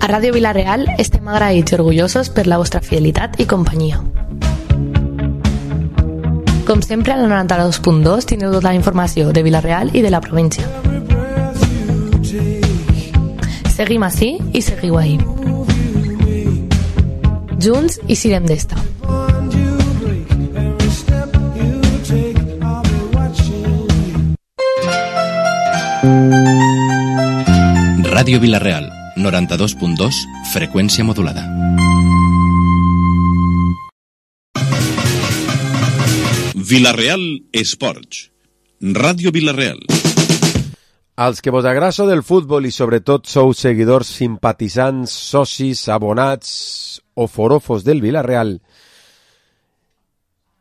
A Ràdio Vila-real estem agraïts i orgullosos per la vostra fidelitat i companyia. Com sempre, al 92.2 tindreu tota la informació de Vila-real i de la província. Seguim ací i seguiu ahí. Junts i sirem d'esta. Ràdio Vila-real, 92.2, freqüència modulada. Vila-real Esports. Ràdio Vila-real. Als que vos agrasso del futbol i sobretot sou seguidors, simpatitzants, socis, abonats o forofos del Vila-real,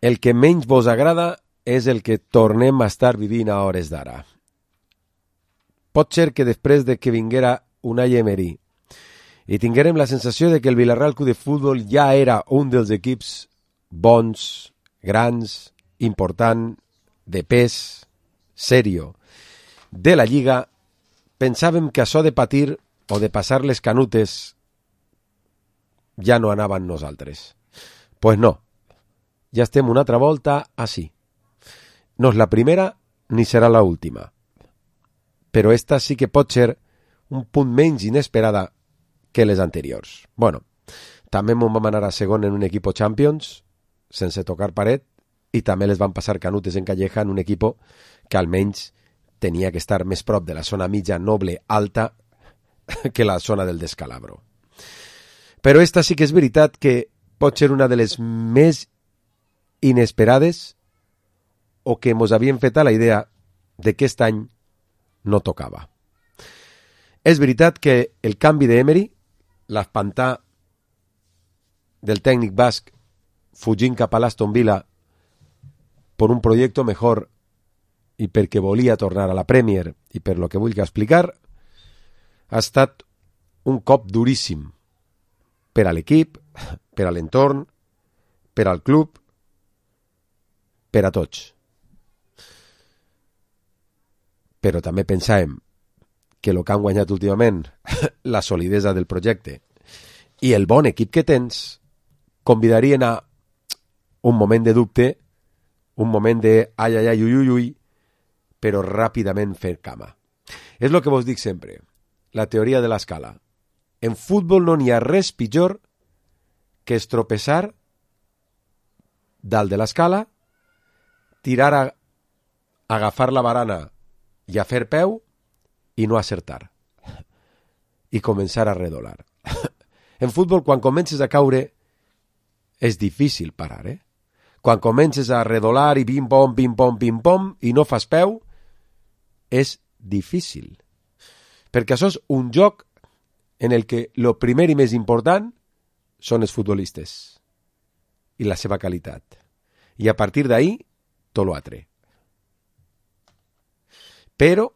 el que menys vos agrada és el que tornem a estar vivint a hores d'ara. Pot ser que després de que vinguera Unai Emery i tinguérem la sensació de que el Vila-real Club de Futbol ja era un dels equips bons, grans, important, de pes, serio, de la Lliga, pensàvem que això de patir o de passar les canutes ja no anava amb nosaltres. Pues no, ja estem una altra volta així. No és la primera ni serà la última. Però esta sí que pot ser un punt menys inesperada que les anteriors. Bueno, també m'ho vam anar a segon en un equip Champions, sense tocar paret, i també les van passar canutes en Calleja en un equip que almenys tenia que estar més prop de la zona mitja, noble, alta, que la zona del descalabro. Però esta sí que és veritat que pot ser una de les més inesperades o que mos havien fet a la idea de que aquest any no tocava. És veritat que el canvi d'Emery, l'espantar del tècnic basc fugint cap a l'Aston Villa per un projecte mejor i perquè volia tornar a la Premier i per lo que vull explicar, ha estat un cop duríssim per a l'equip, per a l'entorn, per al club, per a tots. Però també pensàvem que el que han guanyat últimament, la solidesa del projecte i el bon equip que tens, convidarien a un moment de dubte, un moment de ai, ai, ai, ui, ui, ui, però ràpidament fer cama. És el que vos dic sempre, la teoria de l'escala. En futbol no n'hi ha res pitjor que estropeçar dalt de l'escala, tirar a agafar la barana i a fer peu i no acertar. I començar a redolar. En futbol, quan comences a caure, és difícil parar, eh? Quan comences a redolar i pim-pom, pim-pom, pim-pom, i no fas peu, és difícil. Perquè això és un joc en el que el primer i més important són els futbolistes i la seva qualitat. I a partir d'ahí, tot l'altre. Però,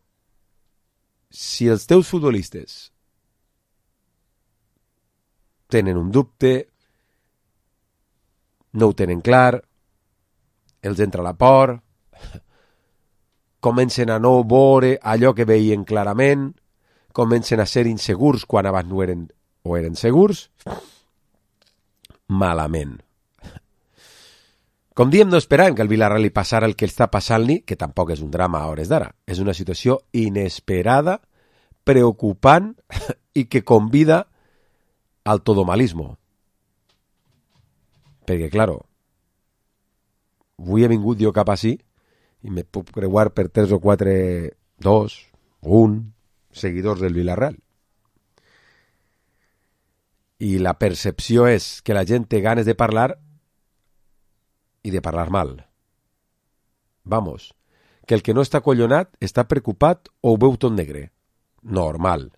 si els teus futbolistes tenen un dubte, no ho tenen clar, els entra la por, comencen a no veure allò que veien clarament, comencen a ser insegurs quan abans no eren o eren segurs, malament. Com diem, no esperàvem que al Villarreal li passara el que està passant-li, que tampoc és un drama a hores d'ara. És una situació inesperada, preocupant i que convida al todomalismo. Perquè, claro, avui he vingut jo cap així i me puc creuar per 3 o 4, 2, 1 seguidors del Villarreal. I la percepció és que la gent té ganes de parlar i de parlar mal. Vamos, que el que no està collonat està preocupat o ho veu tot negre. Normal,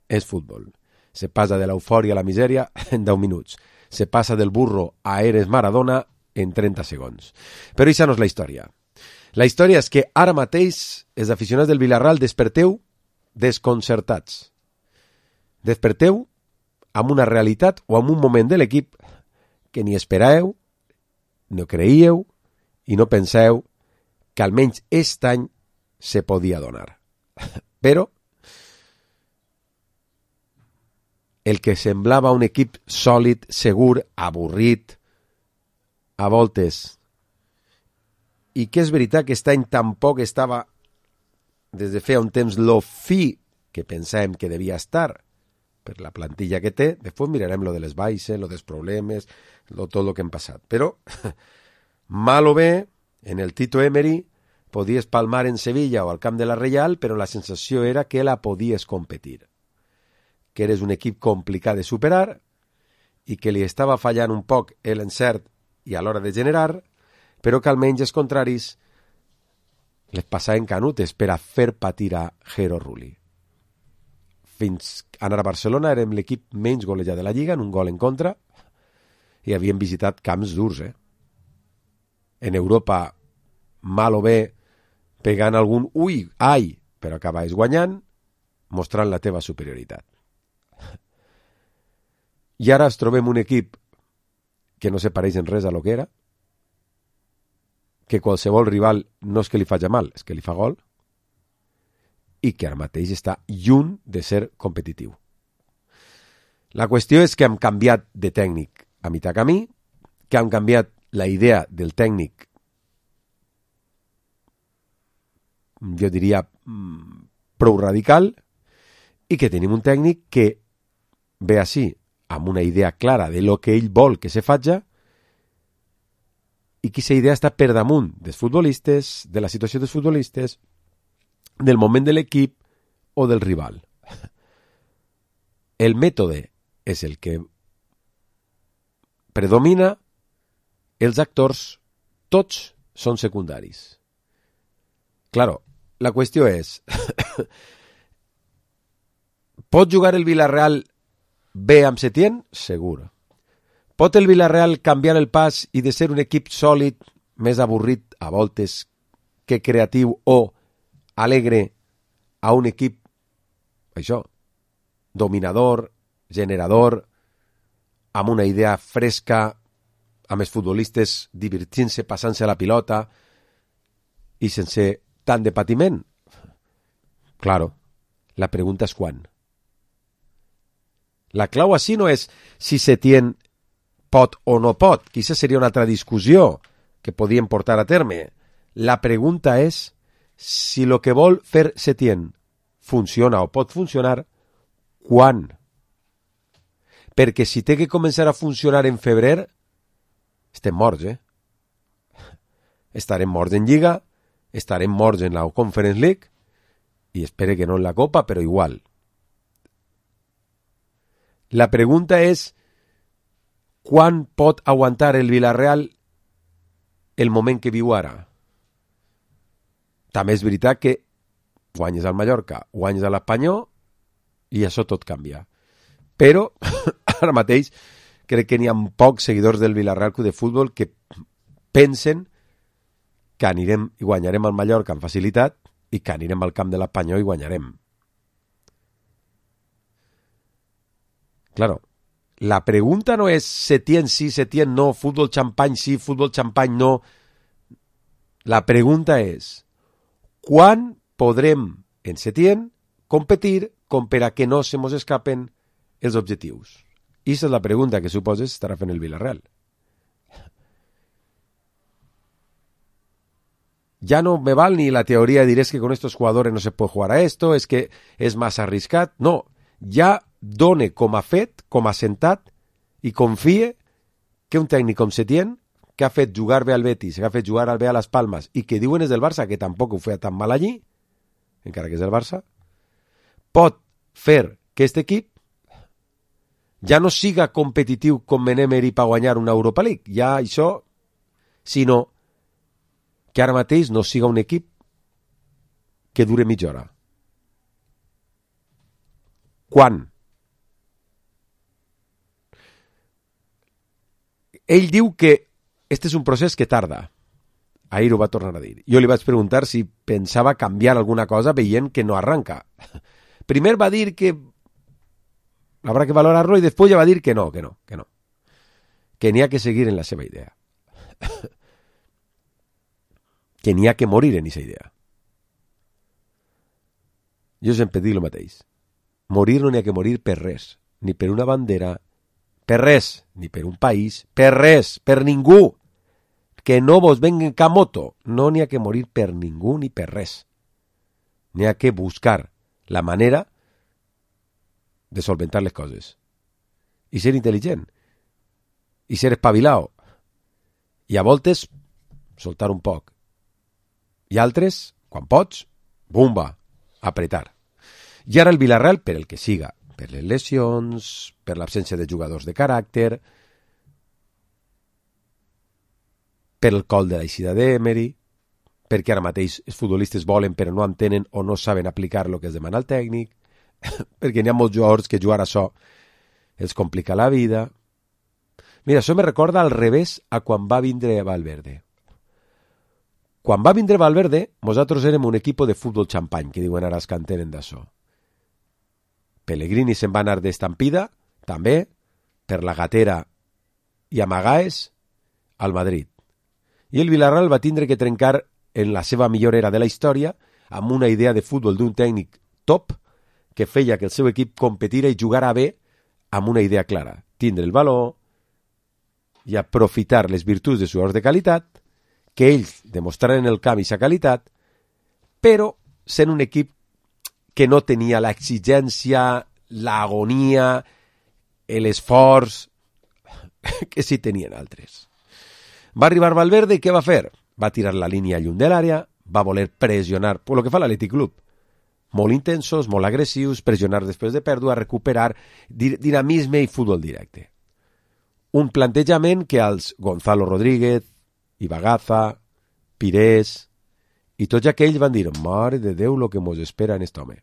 és futbol. Se passa de l'eufòria a la misèria en 10 minuts. Se passa del burro a eres Maradona en 30 segons. Però això no és la història. La història és que ara mateix els aficionats del Villarreal desperteu desconcertats. Desperteu amb una realitat o amb un moment de l'equip que ni esperàveu, no creíeu i no penseu que almenys aquest any se podia donar. Però el que semblava un equip sòlid, segur, avorrit, a voltes, i que és veritat que aquest any tampoc estava, des de feia un temps, lo fi que pensàvem que devia estar, per la plantilla que té. Després mirarem lo de les baixes, lo dels problemes, tot el que hem passat. Però, mal o bé, en el Tito Emery podies palmar en Sevilla o al camp de la Reial, però la sensació era que la podies competir, que eres un equip complicat de superar i que li estava fallant un poc l'encert i a l'hora de generar, però que almenys els contraris les passaven canutes per a fer patir a Jero Rulli. Fins a anar a Barcelona érem l'equip menys golejat de la Lliga, en un gol en contra, i havíem visitat camps durs, En Europa, mal o bé, pegant algun ui, ai, però acabaves guanyant, mostrant la teva superioritat. I ara ens trobem un equip que no se pareix en res a lo que era, que qualsevol rival no és que li faci mal, és que li fa gol, i que ara mateix està lluny de ser competitiu. La qüestió és que hem canviat de tècnic a mitjà camí, que hem canviat la idea del tècnic, jo diria, prou radical, i que tenim un tècnic que ve així, amb una idea clara de lo que ell vol que se faci, i que aquesta idea està per damunt dels futbolistes, de la situació dels futbolistes, del moment de l'equip o del rival. El mètode és el que predomina, els actors tots són secundaris. Claro, la qüestió és pot jugar el Villarreal bé amb Setién? Segur. Pot el Villarreal canviar el pas i de ser un equip sòlid, més avorrit a voltes que creatiu o alegre, a un equip, això, dominador, generador, amb una idea fresca, amb els futbolistes divertint-se, passant-se la pilota i sense tant de patiment? Claro, la pregunta és quan. La clau així no és si Setién pot o no pot, que aquesta seria una altra discussió que podíem portar a terme. La pregunta és si el que vol fer Setién funciona o pot funcionar, quan? Perquè si té que començar a funcionar en febrer, estem morts, Estarem morts en Lliga, estarem morts en la Conference League, i espere que no en la Copa, però igual. La pregunta és quan pot aguantar el Villarreal el moment que viu ara? També és veritat que guanyes al Mallorca, guanyes a l'Espanyol i això tot canvia. Però ara mateix crec que n'hi ha pocs seguidors del Villarreal Club de Futbol que pensen que anirem i guanyarem al Mallorca amb facilitat i que anirem al camp de l'Espanyol i guanyarem. Claro, la pregunta no és Setién sí, Setién no, futbol xampany sí, futbol xampany no. La pregunta és quan podrem en Setién competir com per a que no se mos escapen els objectius. I aquesta és la pregunta que suposes estarà fent el Villarreal. Ya no me val ni la teoría de decir es que con estos jugadores no se puede jugar a esto, es que és massa arriscat. No, ja done com a fet, com a sentat, i confie que un tècnic com Setién, que ha fet jugar bé al Betis, que ha fet jugar bé a les Palmes, i que diuen és del Barça, que tampoc ho feia tan mal allí, encara que és del Barça, pot fer que aquest equip ja no siga competitiu com en Emery per guanyar una Europa League, ja això, sinó que ara mateix no siga un equip que dure mitja hora. Quan? Ell diu que este és un procés que tarda. Ahir ho va tornar a dir. Jo li vaig preguntar si pensava canviar alguna cosa veient que no arranca. Primer va dir que habrá que valorarlo i després ja va dir que no. Que n'hi ha que seguir en la seva idea. Que n'hi ha que morir en aquesta idea. Jo sempre dic el mateix. Morir no n'hi ha que morir per res. ni per una bandera, per res, ni per un país, per res, per ningú. Que no vos venguen cap moto. No n'hi ha que morir per ningú ni per res. N'hi ha que buscar la manera de solventar les coses. I ser intel·ligent. I ser espavilau. I a voltes soltar un poc. I altres, quan pots, bumba, apretar. I ara el Villarreal, per el que siga, per les lesions, per l'absència de jugadors de caràcter, per el col de l'eixida d'Emery, perquè ara mateix els futbolistes volen però no entenen o no saben aplicar el que es demana al tècnic, perquè n'hi ha molts jugadors que jugar a això els complica la vida. Mira, això me recorda al revés a quan va vindre Valverde. Quan va vindre Valverde, nosaltres érem un equip de futbol xampany, que diuen ara els que entenen d'això. Pellegrini se'n va anar d'estampida, també, per la gatera i amagaes, al Madrid. I el Villarreal va tindre que trencar en la seva millor era de la història amb una idea de futbol d'un tècnic top que feia que el seu equip competira i jugara bé amb una idea clara. Tindre el valor i aprofitar les virtuts de jugadors de qualitat, que ells demostraren en el camp aquesta qualitat, però sent un equip que no tenia l'exigència, l'agonia, l'esforç que sí tenien altres. Va arribar Valverde i què va fer? Va tirar la línia lluny de l'àrea, va voler pressionar, per lo que fa l'Atlètic Club. Molt intensos, molt agressius, pressionar després de pèrdua, recuperar, dinamisme i futbol directe. Un plantejament que als Gonzalo Rodríguez, Ibagaza, Pires i tots aquells van dir, mare de Déu, lo que mos espera en aquest home.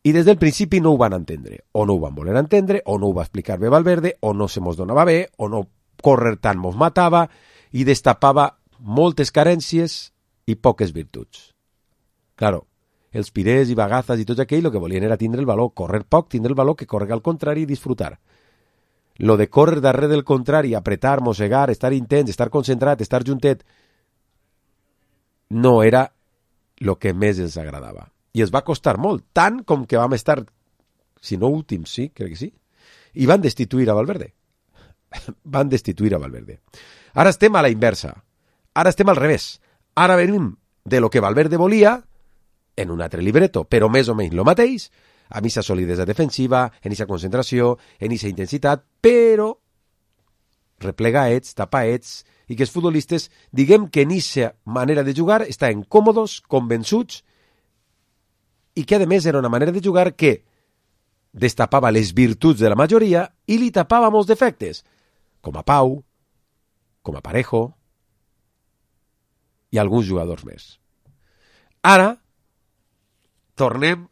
I des del principi no ho van entendre, o no ho van voler entendre, o no ho va explicar bé Valverde, o no se mos donava bé, o no córrer tant mos matava, i destapava moltes carències i poques virtuts. Claro, els Pires i Bagazas i tots aquells el que volien era tindre el valor, córrer poc, tindre el valor que córrer al contrari i disfrutar. Lo de córrer darrere del contrari, apretar, mossegar, estar intens, estar concentrat, estar juntet, no era el que més els agradava. I els va costar molt, tant com que vam estar, si no últims, sí, crec que sí, i van destituir a Valverde. Van destituir a Valverde. Ara estem a la inversa. Ara estem al revés. Ara venim de lo que Valverde volia en un altre libreto, però més o menys lo mateix, amb aquesta solidesa defensiva, en aquesta concentració, en aquesta intensitat, però replegaets, tapaets, i que els futbolistes, diguem que en aquesta manera de jugar estaven còmodos, convençuts, i que a més era una manera de jugar que destapava les virtuts de la majoria i li tapava molts defectes, com a Pau, com a Parejo i alguns jugadors més. Ara tornem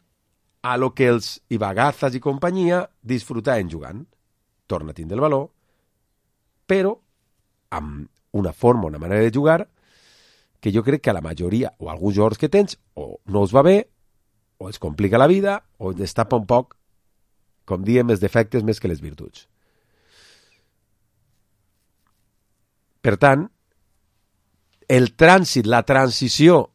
a lo que els Ibagazas i companyia disfrutaven jugant. Torna a tindre el valor, però amb una forma, una manera de jugar que jo crec que a la majoria, o alguns jugadors que tens, o no els va bé, o es complica la vida, o es destapa un poc, com diem, els defectes més que les virtuts. Per tant, el trànsit, la transició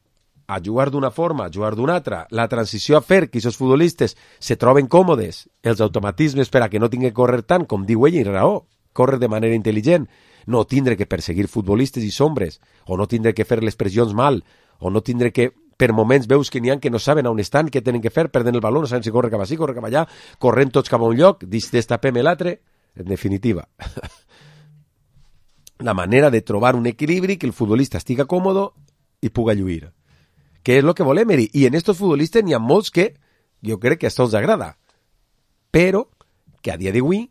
a jugar d'una forma, a jugar d'una altra, la transició a fer que aquests futbolistes se troben còmodes, els automatismes per a que no tinguen que córrer tant, com diu ell, i raó, córrer de manera intel·ligent, no tindre que perseguir futbolistes i sombres, o no tindre que fer les pressions mal, o no tindre que, per moments veus que n'hi ha que no saben on estan, què tenen que fer, perden el valor, no saben si corre cap així, corre cap allà, corrent tots cap a un lloc, destapem l'altre, en definitiva. La manera de trobar un equilibri que el futbolista estiga còmodo i puga lluir. Que és el que volem, i en estos futbolistes n'hi ha molts que jo crec que a tots agrada, però que a dia d'avui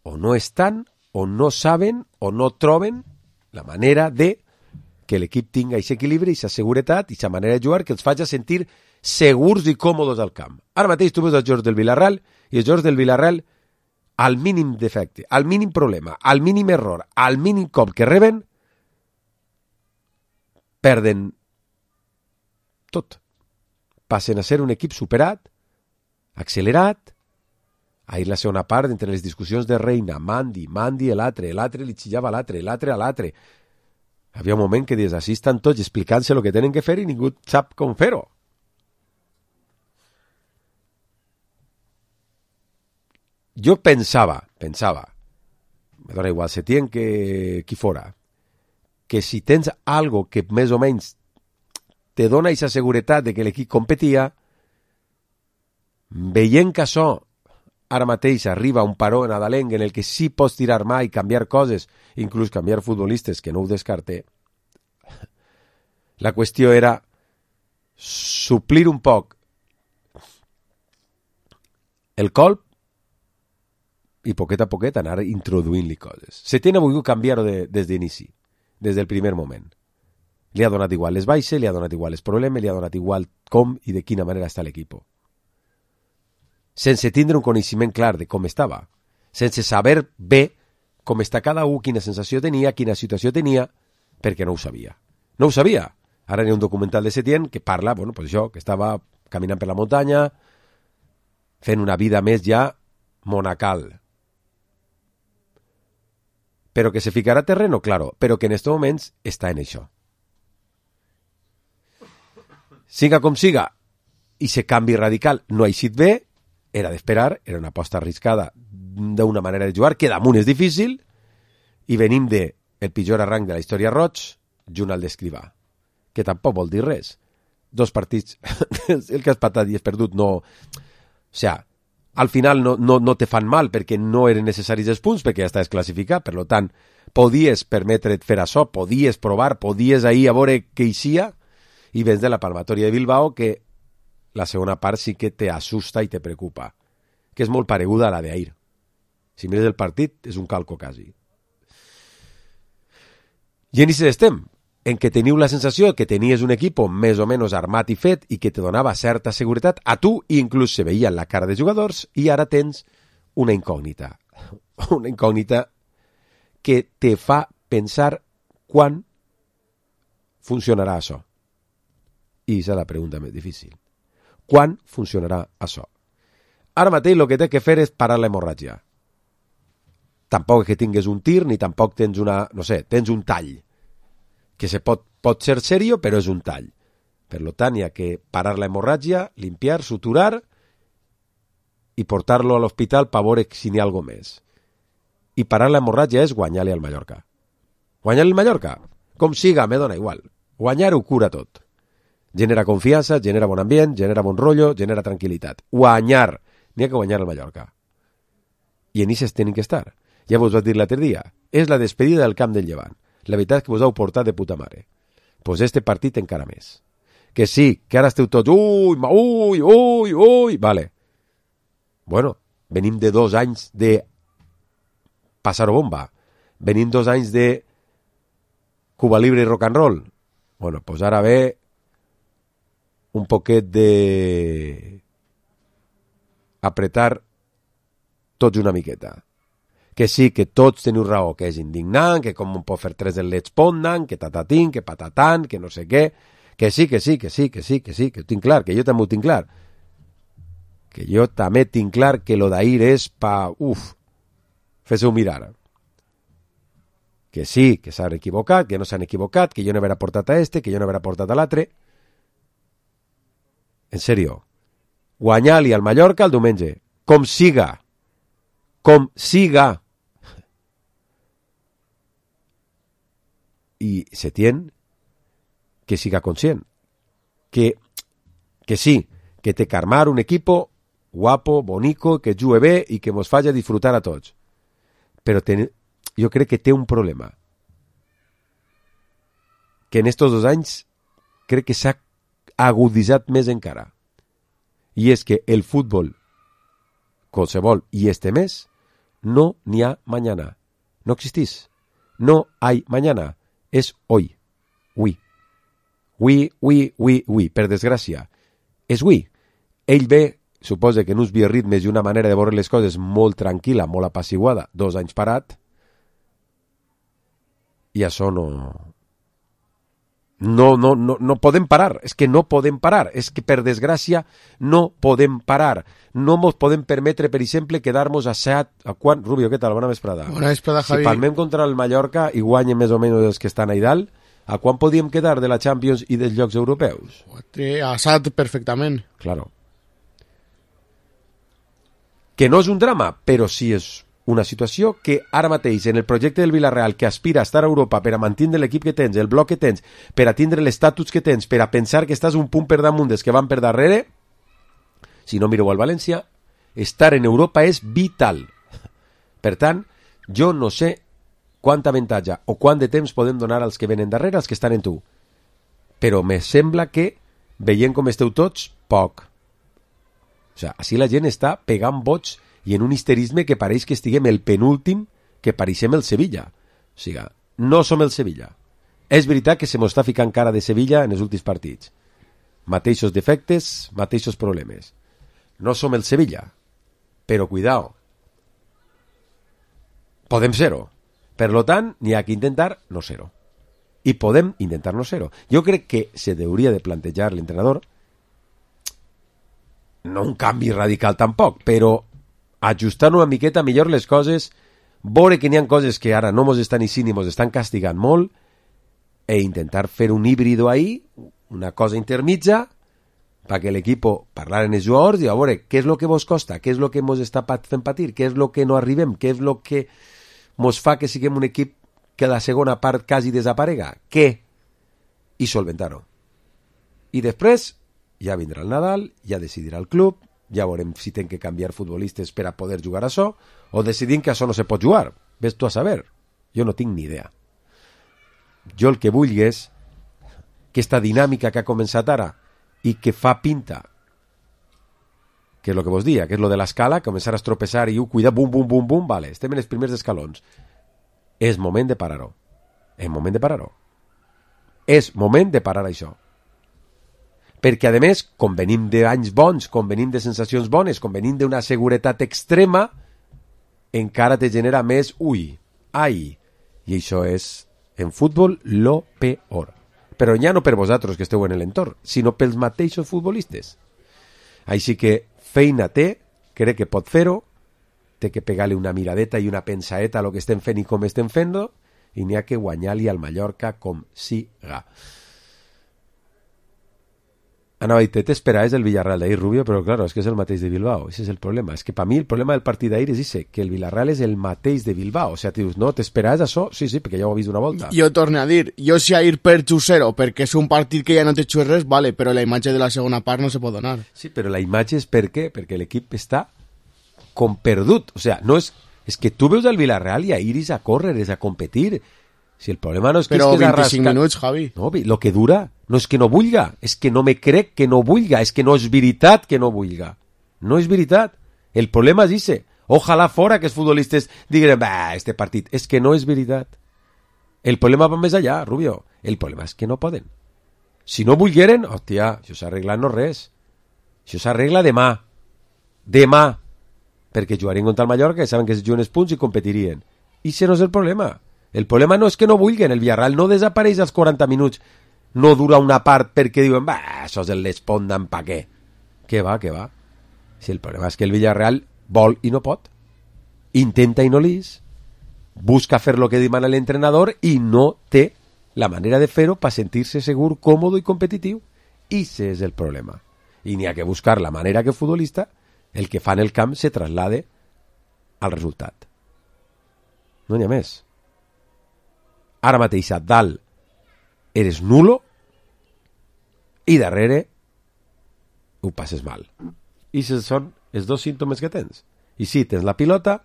o no estan, o no saben, o no troben la manera de que l'equip tinga aquest equilibri, aquesta seguretat, aquesta manera de jugar que els faci sentir segurs i còmodes al camp. Ara mateix tu veus els jugadors del Villarreal, i els jugadors del Villarreal, al mínim defecte, al mínim problema, al mínim error, al mínim cop que reben, perden tot. Passen a ser un equip superat, accelerat. Ahir la segona part, entre les discussions de Reina, Mandi, l'altre li xillava a l'altre a l'altre. Havia un moment que des d'ací estan tots explicant-se el que tenen que fer i ningú sap com fer-ho. jo pensava, me dona igual Setién que qui fora, que si tens algo que més o menys te dona aquesta seguretat de que l'equip competia, veient que això ara mateix arriba un paró nadalenc en el que sí pots tirar mà i canviar coses, inclús canviar futbolistes, que no ho descarte, la qüestió era suplir un poc el colp i poquet a poquet anar introduint-li coses. Setién ha volgut canviar-ho des d'inici, des del primer moment. Li ha donat igual les baixes, li ha donat igual els problemes, li ha donat igual com i de quina manera està l'equip. Sense tindre un coneixement clar de com estava, sense saber bé com està cada un, quina sensació tenia, quina situació tenia, perquè no ho sabia. No ho sabia. Ara hi ha un documental de Setién que parla, bueno, pues això, que estava caminant per la muntanya, fent una vida més ja monacal. Però que se ficarà a terreno, claro, però que en estos moments està en això. Siga com siga, i se canvi radical no ha eixit bé, era d'esperar, era una aposta arriscada d'una manera de jugar, que damunt és difícil, i venim de el pitjor arranc de la història roig, junt al d'Escrivà, que tampoc vol dir res. 2 partits, el que has patat i has perdut, no... O sea, al final no te fan mal perquè no eren necessaris els punts, perquè ja estaves classificat, per tant, podies permetre't fer això, podies provar, podies ahir a veure què eixia, i vens de la palmatòria de Bilbao, que la segona part sí que te asusta i te preocupa, que és molt pareguda a la d'ahir. Si mires el partit, és un calco quasi. I en això estem, en què teniu la sensació que tenies un equip més o menys armat i fet i que te donava certa seguretat a tu, i inclús se veia en la cara de jugadors, i ara tens una incògnita. Una incògnita que te fa pensar quan funcionarà això. I és la pregunta més difícil. Quan funcionarà això? Ara mateix el que té que fer és parar l'hemorràgia. Tampoc és que tingues un tir, ni tampoc tens una... no sé, tens un tall. Que se pot ser serio, però és un tall. Per tant, hi ha que parar la hemorràgia, limpiar, suturar i portar-lo a l'hospital per veure si n'hi ha alguna més. I parar la hemorràgia és guanyar-li al Mallorca. Guanyar-li al Mallorca? Com siga, me dona igual. Guanyar-ho cura tot. Genera confiança, genera bon ambient, genera bon rotllo, genera tranquil·litat. Guanyar. N'hi ha que guanyar al Mallorca. I en ixes tenen que estar. Ja vos vaig dir l'altre dia. És la despedida del camp del Llevant. La veritat és que vos heu portat de puta mare. Pues este partit encara més. Que sí, que ara esteu tots... Ui, vale. Bueno, venim de 2 anys de passar-ho bomba. Venim 2 anys de Cuba Libre i rock and roll. Bueno, pues ara ve un poquet de apretar tots una miqueta. Que sí, que tots teniu raó, que és indignant, que com pot fer 3 del Let's Pondan, que tatatín, que patatán, que no sé què, que sí, que ho tinc clar, que jo també ho tinc clar. Que jo també tinc clar que lo d'ahir és pa... fes-ho mirar. Que sí, que s'han equivocat, que no s'han equivocat, que jo no haurà portat a este, que jo no haurà portat a l'altre. En sèrio. Guanyar-li al Mallorca el diumenge. Com siga. Com siga. I Setién que siga conscient que sí, que té que armar un equipo guapo, bonico, que jugue bé i que mos faci disfrutar a tots, però jo crec que té un problema que en estos 2 anys crec que s'ha aguditzat més encara, i és que el futbol qualsevol i este mes no n'hi ha mañana, no existís, no hay mañana, és hoy. Ui, per desgràcia. És ui. Ell ve, suposa que en uns bioritmes i una manera de veure les coses molt tranquil·la, molt apaciguada, 2 anys parat, i això no podem parar, és que no podem parar, és que per desgràcia no podem parar. No ens podem permetre, per exemple, quedar-nos a 7, a quan? Rubio, què tal? Bona vesprada. Bona vesprada, Javi. Si palmem contra el Mallorca i guanyen més o menys els que estan a dalt, a quan podíem quedar de la Champions i dels llocs europeus? A 7 perfectament. Claro. que no és un drama, però sí és una situació que ara mateix en el projecte del Villarreal, que aspira a estar a Europa per a mantenir l'equip que tens, el bloc que tens, per a tindre l'estatus que tens, per a pensar que estàs un punt per damunt dels que van per darrere, si no mireu al València, estar en Europa és vital. Per tant, jo no sé quant avantatge o quant de temps podem donar als que venen darrere, als que estan en tu. Però me sembla que, veient com esteu tots, poc. O sigui, així la gent està pegant bots i en un histerisme que pareix que estiguem el penúltim que pareixem el Sevilla. O sigui, no som el Sevilla. És veritat que se mos està ficant cara de Sevilla en els últims partits. Mateixos defectes, mateixos problemes. No som el Sevilla. Però cuidao. Podem ser-ho. Per lo tant, n'hi ha que intentar no ser-ho. I podem intentar no ser-ho. Jo crec que se hauria de plantejar l'entrenador, no un canvi radical tampoc, però ajustar una miqueta millor les coses, veure que n'hi ha coses que ara no mos estan eixint i mos estan castigant molt, e intentar fer un híbrido ahí, una cosa intermitja, perquè l'equip parlar en els jugadors i a veure què és el que vos costa, què és el que mos està fent patir, què és el que no arribem, què és el que mos fa que siguem un equip que la segona part quasi desaparega, què? I solventar-ho. I després ja vindrà el Nadal, ja decidirà el club, ja veurem si tem que canviar futbolistes per a poder jugar a això, o decidim que això no se pot jugar. Ves tu a saber. Jo no tinc ni idea. Jo el que vull és que esta dinàmica que ha començat ara i que fa pinta, que és el que vos dia, que és lo de l'escala, començar a estropeçar i cuidar, bum, bum, bum, bum, vale, estem en els primers escalons. És moment de parar-ho. És moment de parar-ho. És moment de parar això. Perquè, a més, com venim d'anys bons, com venim de sensacions bones, com venim d'una seguretat extrema, encara te genera més ai. I això és, en futbol, lo peor. Però ja no per vosaltres que esteu en l'entorn, sinó pels mateixos futbolistes. Així que feina té, crec que pot fer-ho, té que pegar-li una miradeta i una pensaeta a lo que estem fent i com estem fent-ho, i n'hi ha que guanyar-li al Mallorca com siga. Anava a dir, t'esperàs el Villarreal d'ahir, Rubio, però claro, és que és el mateix de Bilbao. Ese és el problema. És que per mi el problema del partit d'ahir és ese, que el Villarreal és el mateix de Bilbao. O sigui, dius, no, t'esperàs això? Sí, perquè ja ho he vist una volta. Jo torno a dir, jo si ahir perds 0 perquè és un partit que ja no te xues res, vale, però la imatge de la segona part no se pot donar. Sí, però la imatge és per què? Perquè l'equip està com perdut. O sigui, no és... És que tu veus el Villarreal i ahir és a córrer, és a competir. Si el problema no és que però és 25 minuts, Javi. No, lo que dura no és que no vulga, és que no me crec que no vulga, és que no és veritat que no vulga. No és veritat. El problema és ese. Ojalà fora que els futbolistes diguin, este partit. És que no és veritat. El problema va més allà, Rubio. El problema és que no poden. Si no volgueren, hòstia, això s'arregla no res. Això s'arregla demà. Demà. Perquè jugarien contra el Mallorca, que saben que es juguen els punts i competirien. I això no és el problema. El problema no és que no vulguin, el Villarreal no desapareix als 40 minuts, no dura una part perquè diuen, això és el l'espondan pa què. Què va. Si el problema és que el Villarreal vol i no pot, intenta i no lis, busca fer lo que demana l'entrenador i no té la manera de fer-ho per sentir-se segur, còmode i competitiu. I ese és el problema. I n'hi ha que buscar la manera que el futbolista, el que fa en el camp, se traslade al resultat. No n'hi ha més. Ara mateix a dalt eres nulo i darrere ho passes mal. I són els dos símptomes que tens. I si tens la pilota,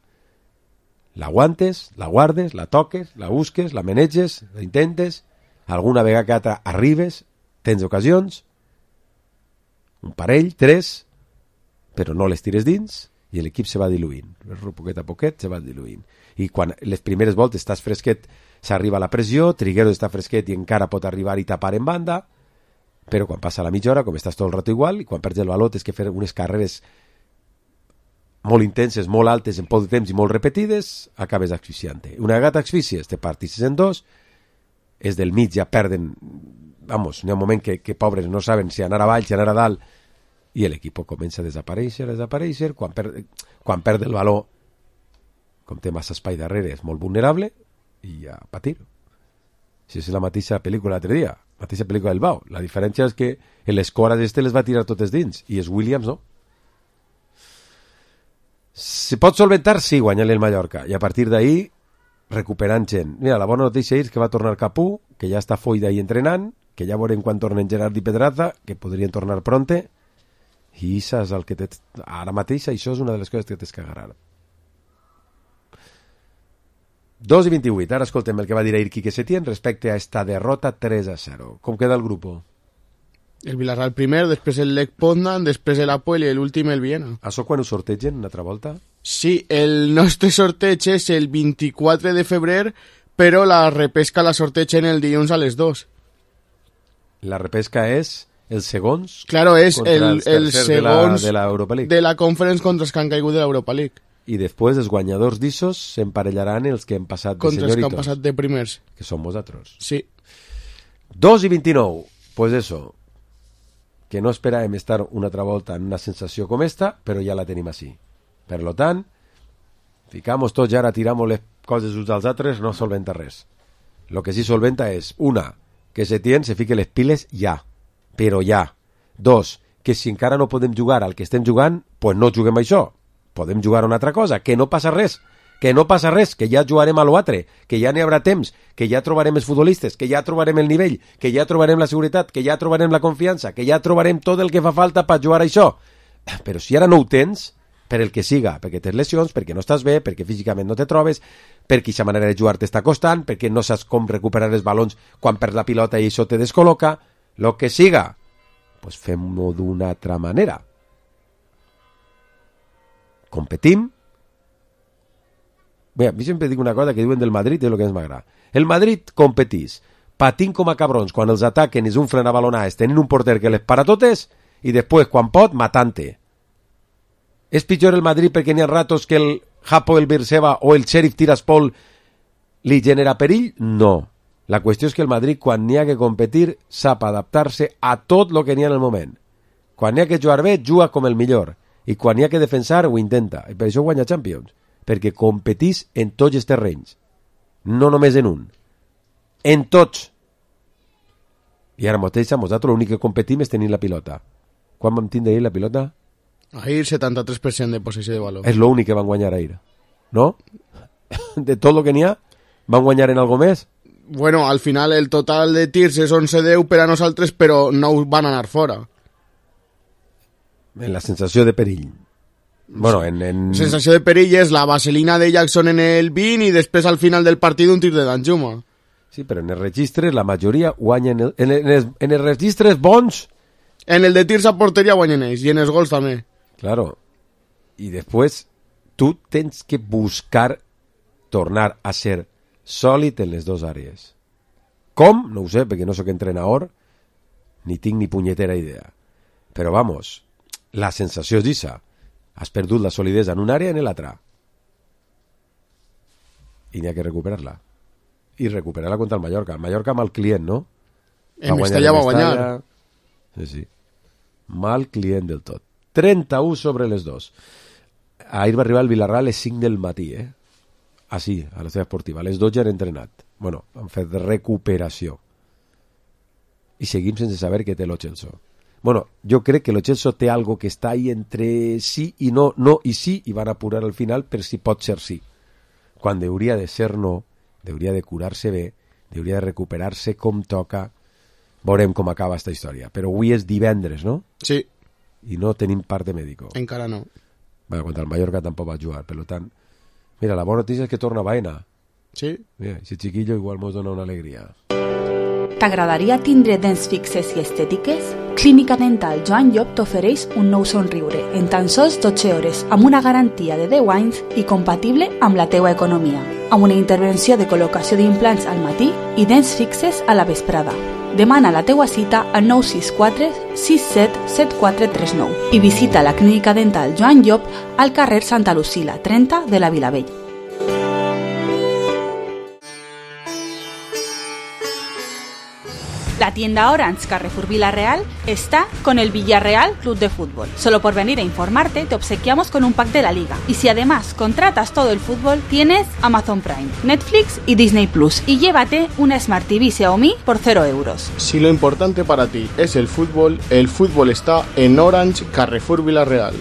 l'aguantes, la guardes, la toques, la busques, la maneges, la intentes, alguna vegada que altra arribes, tens ocasions, un parell, 3, però no les tires dins i l'equip se va diluint. Poquet a poquet se va diluint. I quan les primeres voltes estàs fresquet, s'arriba a la pressió, Trigueros està fresquet i encara pot arribar i tapar en banda, però quan passa la mitja hora, com estàs tot el rato igual, i quan perds el valor tens que fer unes carreres molt intenses, molt altes, en poc de temps i molt repetides, acabes asfixiant-te. Una vegada asfixies, te partixes en dos, és del mig, ja perden, vamos, n'hi ha un moment que pobres no saben si anar avall, si anar a dalt, i l'equip comença a desaparèixer, quan perd el valor, com té massa espai darrere, és molt vulnerable, i a patir. Si és la mateixa pel·lícula l'altre dia, la mateixa pel·lícula del Bau. La diferència és que les cores les va tirar totes dins, i els Williams no. Si pot solventar, sí, guanyar-li el Mallorca. I a partir d'ahí, recuperant gent. Mira, la bona notícia és que va tornar Capú, que ja està foi d'ahí entrenant, que ja veurem quan tornen Gerard i Pedraza, que podrien tornar pronte, i això és el que ara mateix això és una de les coses que tens que agarrar. 2:28, ara escoltem el que va dir ahir Quique Setién respecte a esta derrota 3-0. Com queda el grup? El Villarreal primer, després el Lech Poznan, després el Apoel i l'últim el Viena. Això quan ho sortegen una altra volta? Sí, el nostre sorteig és el 24 de febrer, però la repesca la sortegen el dilluns a les 2. La repesca és els segons? Claro, és el segons de la Europa League. De la Conference contra els que han caigut de l'Europa League. I després els guanyadors d'Issos s'emparellaran els que han passat de contra senyoritos. Els que han passat de primers. Que som vosaltres. Sí. 2:29. Pues eso. Que no esperàvem estar una altra volta en una sensació com esta, però ja la tenim així. Per lo tant, ficamos tots i ara tiramos les coses uns als altres, no solventa res. Lo que sí solventa és, una, que Setién se fique les piles ja, però ja. Dos, que si encara no podem jugar al que estem jugant, pues no juguem a això. Podem jugar a una altra cosa, que no passa res, que ja jugarem a l'altre, que ja n'hi haurà temps, que ja trobarem els futbolistes, que ja trobarem el nivell, que ja trobarem la seguretat, que ja trobarem la confiança, que ja trobarem tot el que fa falta per jugar a això. Però si ara no ho tens, per el que siga, perquè tens lesions, perquè no estàs bé, perquè físicament no te trobes, perquè aquesta manera de jugar t'està costant, perquè no saps com recuperar els balons quan perds la pilota i això te descol·loca, lo que siga, pues fem-ho d'una altra manera. Competim. Bé, a mi sempre dic una cosa que diuen del Madrid, és el que més m'agrada. El Madrid competís, patint com a cabrons quan els ataquen i és un fren a balonades, tenint un porter que les para totes, i després, quan pot, matant-te. És pitjor el Madrid perquè n'hi ha ratos que el Hapo, el Beersheba o el Sheriff Tiraspol li genera perill? No. La qüestió és que el Madrid, quan n'hi ha que competir, sap adaptar-se a tot el que n'hi ha en el moment. Quan n'hi ha que jugar bé, juga com el millor. I quan n'hi ha que defensar, ho intenta. I per això guanya Champions. Perquè competís en tots els terrenys. No només en un. En tots. I ara mateix, nosaltres l'únic que competim és tenir la pilota. Quan vam tindre ahir la pilota? Ahir 73% de possessió de valor. És l'únic que van guanyar ahir. No? De tot el que n'hi ha, van guanyar en algo més? Bueno, al final el total de tirs és 11-10 per a nosaltres, però no van anar fora. En la sensació de perill. Bueno, sensació de perill és la vaselina de Jackson en el 20 i després al final del partit un tir de Danjuma. Sí, però en els registres la majoria guanyen en els registres bons. En el de tirs a porteria guanyen ells i en els gols també. Claro. I després tu tens que buscar tornar a ser sòlid en les dues àrees. Com? No ho sé, perquè no sóc entrenador ni tinc ni punyetera idea. Però vamos, la sensació és d'issa. Has perdut la solidesa en una àrea i en l'altra. I n'hi ha que recuperar-la. I recuperar-la contra el Mallorca. El Mallorca mal client, no? En Mestalla va guanyar. Sí. Mal client del tot. 31 sobre les 2. Ahir va arribar el Villarreal a les 5 del matí, Així, a la seva esportiva. A les 12 han entrenat. Bueno, han fet recuperació. I seguim sense saber què té lo Chelsea. Bueno, jo crec que lo Chelsea té algo que està ahí entre sí i no, no i sí, i van apurar al final per si pot ser sí. Quan hauria de ser no, hauria de curar-se bé, hauria de recuperar-se com toca. Veurem com acaba esta història. Però avui és divendres, no? Sí. I no tenim parte mèdico. Encara no. Bueno, contra el Mallorca tampoc va jugar, per tant... Mira, la bona notícia és que torna Baena. Sí. Mira, ese chiquillo igual mos dona una alegria. T'agradaria tindre dents fixes i estètiques? Clínica Dental Joan Llop t'ofereix un nou somriure en tan sols 12 hores amb una garantia de 10 anys i compatible amb la teua economia. Amb una intervenció de col·locació d'implants al matí i dents fixes a la vesprada. Demana la teua cita al 964 67 7439 i visita la Clínica Dental Joan Llop al carrer Santa Lucila 30 de la Vilavella. La tienda Orange Carrefour Villarreal está con el Villarreal Club de Fútbol. Solo por venir a informarte te obsequiamos con un pack de la liga. Y si además contratas todo el fútbol, tienes Amazon Prime, Netflix y Disney Plus. Y llévate una Smart TV Xiaomi por 0 euros. Si lo importante para ti es el fútbol está en Orange Carrefour Villarreal.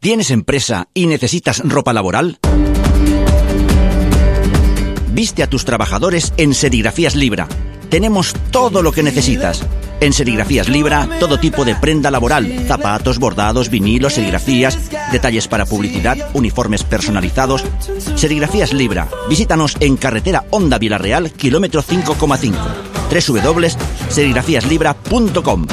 ¿Tienes empresa y necesitas ropa laboral? Viste a tus trabajadores en Serigrafías Libra. Tenemos todo lo que necesitas. En Serigrafías Libra, todo tipo de prenda laboral, zapatos, bordados, vinilos, serigrafías, detalles para publicidad, uniformes personalizados. Serigrafías Libra. Visítanos en carretera Honda Vilarreal, kilómetro 5,5. www.serigrafiaslibra.com.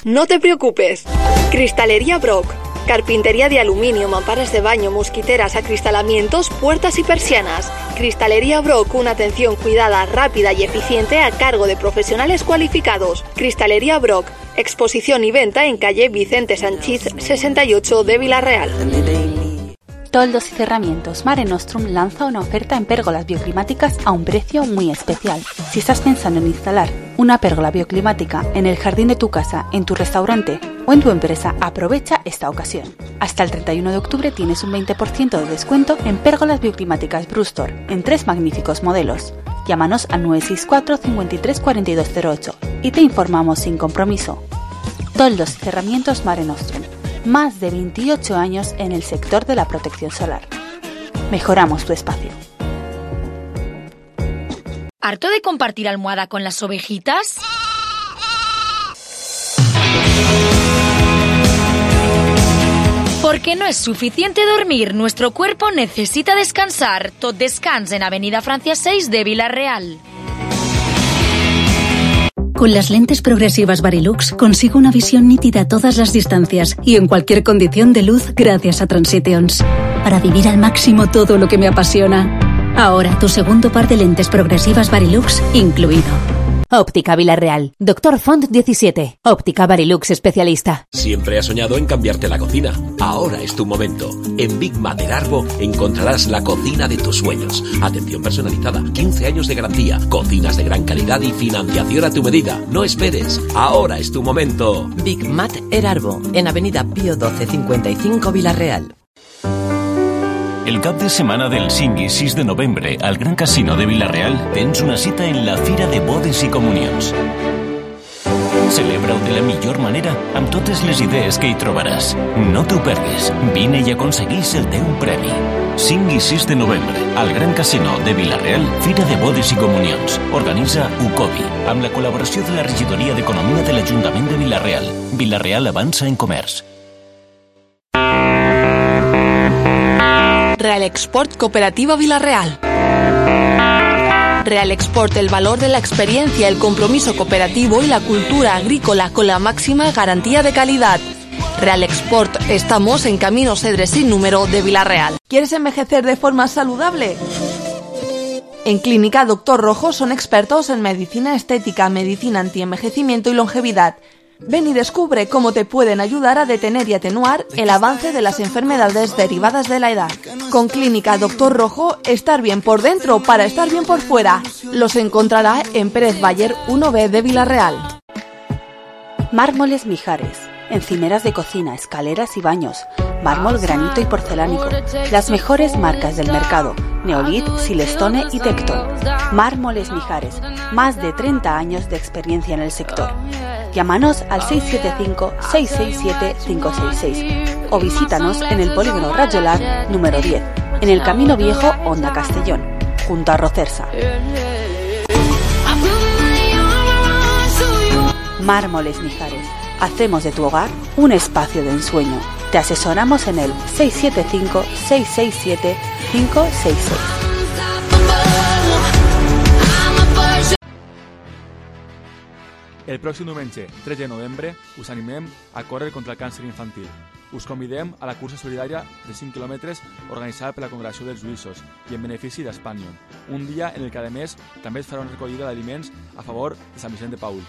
No te preocupes. Cristalería Brock. Carpintería de aluminio, mamparas de baño, mosquiteras, acristalamientos, puertas y persianas. Cristalería Brock, una atención cuidada, rápida y eficiente a cargo de profesionales cualificados. Cristalería Brock, exposición y venta en calle Vicente Sanchís 68 de Vilarreal. Toldos y Cerramientos Mare Nostrum lanza una oferta en pérgolas bioclimáticas a un precio muy especial. Si estás pensando en instalar una pérgola bioclimática en el jardín de tu casa, en tu restaurante o en tu empresa, aprovecha esta ocasión. Hasta el 31 de octubre tienes un 20% de descuento en pérgolas bioclimáticas Brustor en 3 magníficos modelos. Llámanos al 964 53 4208 y te informamos sin compromiso. Toldos y Cerramientos Mare Nostrum. Más de 28 años en el sector de la protección solar. Mejoramos tu espacio. ¿Harto de compartir almohada con las ovejitas? Porque no es suficiente dormir, nuestro cuerpo necesita descansar. Tot Descans en Avenida Francia 6 de Vilarreal. Con las lentes progresivas Varilux consigo una visión nítida a todas las distancias y en cualquier condición de luz gracias a Transitions. Para vivir al máximo todo lo que me apasiona. Ahora tu segundo par de lentes progresivas Varilux incluido. Óptica Vilarreal. Dr. Font 17. Óptica Varilux especialista. Siempre has soñado en cambiarte la cocina. Ahora es tu momento. En Big Mat del Arbo encontrarás la cocina de tus sueños. Atención personalizada, 15 años de garantía, cocinas de gran calidad y financiación a tu medida. No esperes. Ahora es tu momento. Big Mat El Arbo, en Avenida Pío 12 55 Vilarreal. El cap de setmana del 5 i 6 de novembre al Gran Casino de Vilarreal tens una cita en la Fira de Bodes i Comunions. Celebra-ho de la millor manera amb totes les idees que hi trobaràs. No t'ho perguis. Vine i aconseguís el teu premi. 5 i 6 de novembre al Gran Casino de Vilarreal, Fira de Bodes i Comunions. Organitza UCOBI amb la col·laboració de la Regidoria d'Economia de l'Ajuntament de Vilarreal. Vilarreal avança en comerç. Real Export Cooperativa Vilarreal. Real Export, el valor de la experiencia, el compromiso cooperativo y la cultura agrícola con la máxima garantía de calidad. Real Export, estamos en Camino Cedres sin número de Vilarreal. ¿Quieres envejecer de forma saludable? En Clínica Dr. Rojo son expertos en medicina estética, medicina antienvejecimiento y longevidad. Ven y descubre cómo te pueden ayudar a detener y atenuar el avance de las enfermedades derivadas de la edad. Con Clínica Dr. Rojo, estar bien por dentro para estar bien por fuera. Los encontrará en Pérez Bayer 1B de Vilarreal. Mármoles Mijares. Encimeras de cocina, escaleras y baños. Mármol, granito y porcelánico. Las mejores marcas del mercado. Neolith, Silestone y Tecton. Mármoles Mijares. Más de 30 años de experiencia en el sector. Llámanos al 675-667-566 o visítanos en el Polígono Rajolar número 10, en el Camino Viejo Honda Castellón, junto a Rocersa. Mármoles Mijares. Hacemos de tu hogar un espacio de ensueño. Te asesoramos en el 675-667-566. El pròxim diumenge, 3 de novembre, us animem a córrer contra el càncer infantil. Us convidem a la cursa solidària de 5 quilòmetres organitzada per la Congregació dels Lluïssos i en benefici d'Espanyol, un dia en el que, a més, també es farà una recollida d'aliments a favor de Sant Vicent de Paül.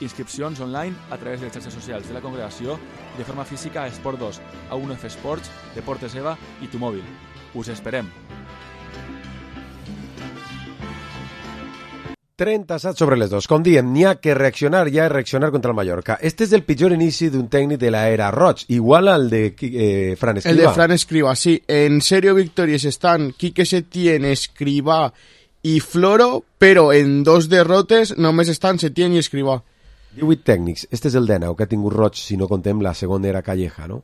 Inscripcions online a través de les xarxes socials de la Congregació i de forma física a Esport 2, a UNF Esports, Deportes EVA i Tu Mòbil. Us esperem! 37 sobre les 2. Com diem, n'hi ha que reaccionar, ja és reaccionar contra el Mallorca. Este és el pitjor inici d'un tècnic de l'era Roig, igual al de Fran Escrivá. El de Fran Escrivá, sí. En serio victorias están Quique Setién, Escrivá y Floro, pero en 2 derrotes només estan Setién y Escrivá. 18 tècnics. Este és el 19 que ha tingut roig, si no contem la segona era Calleja, no?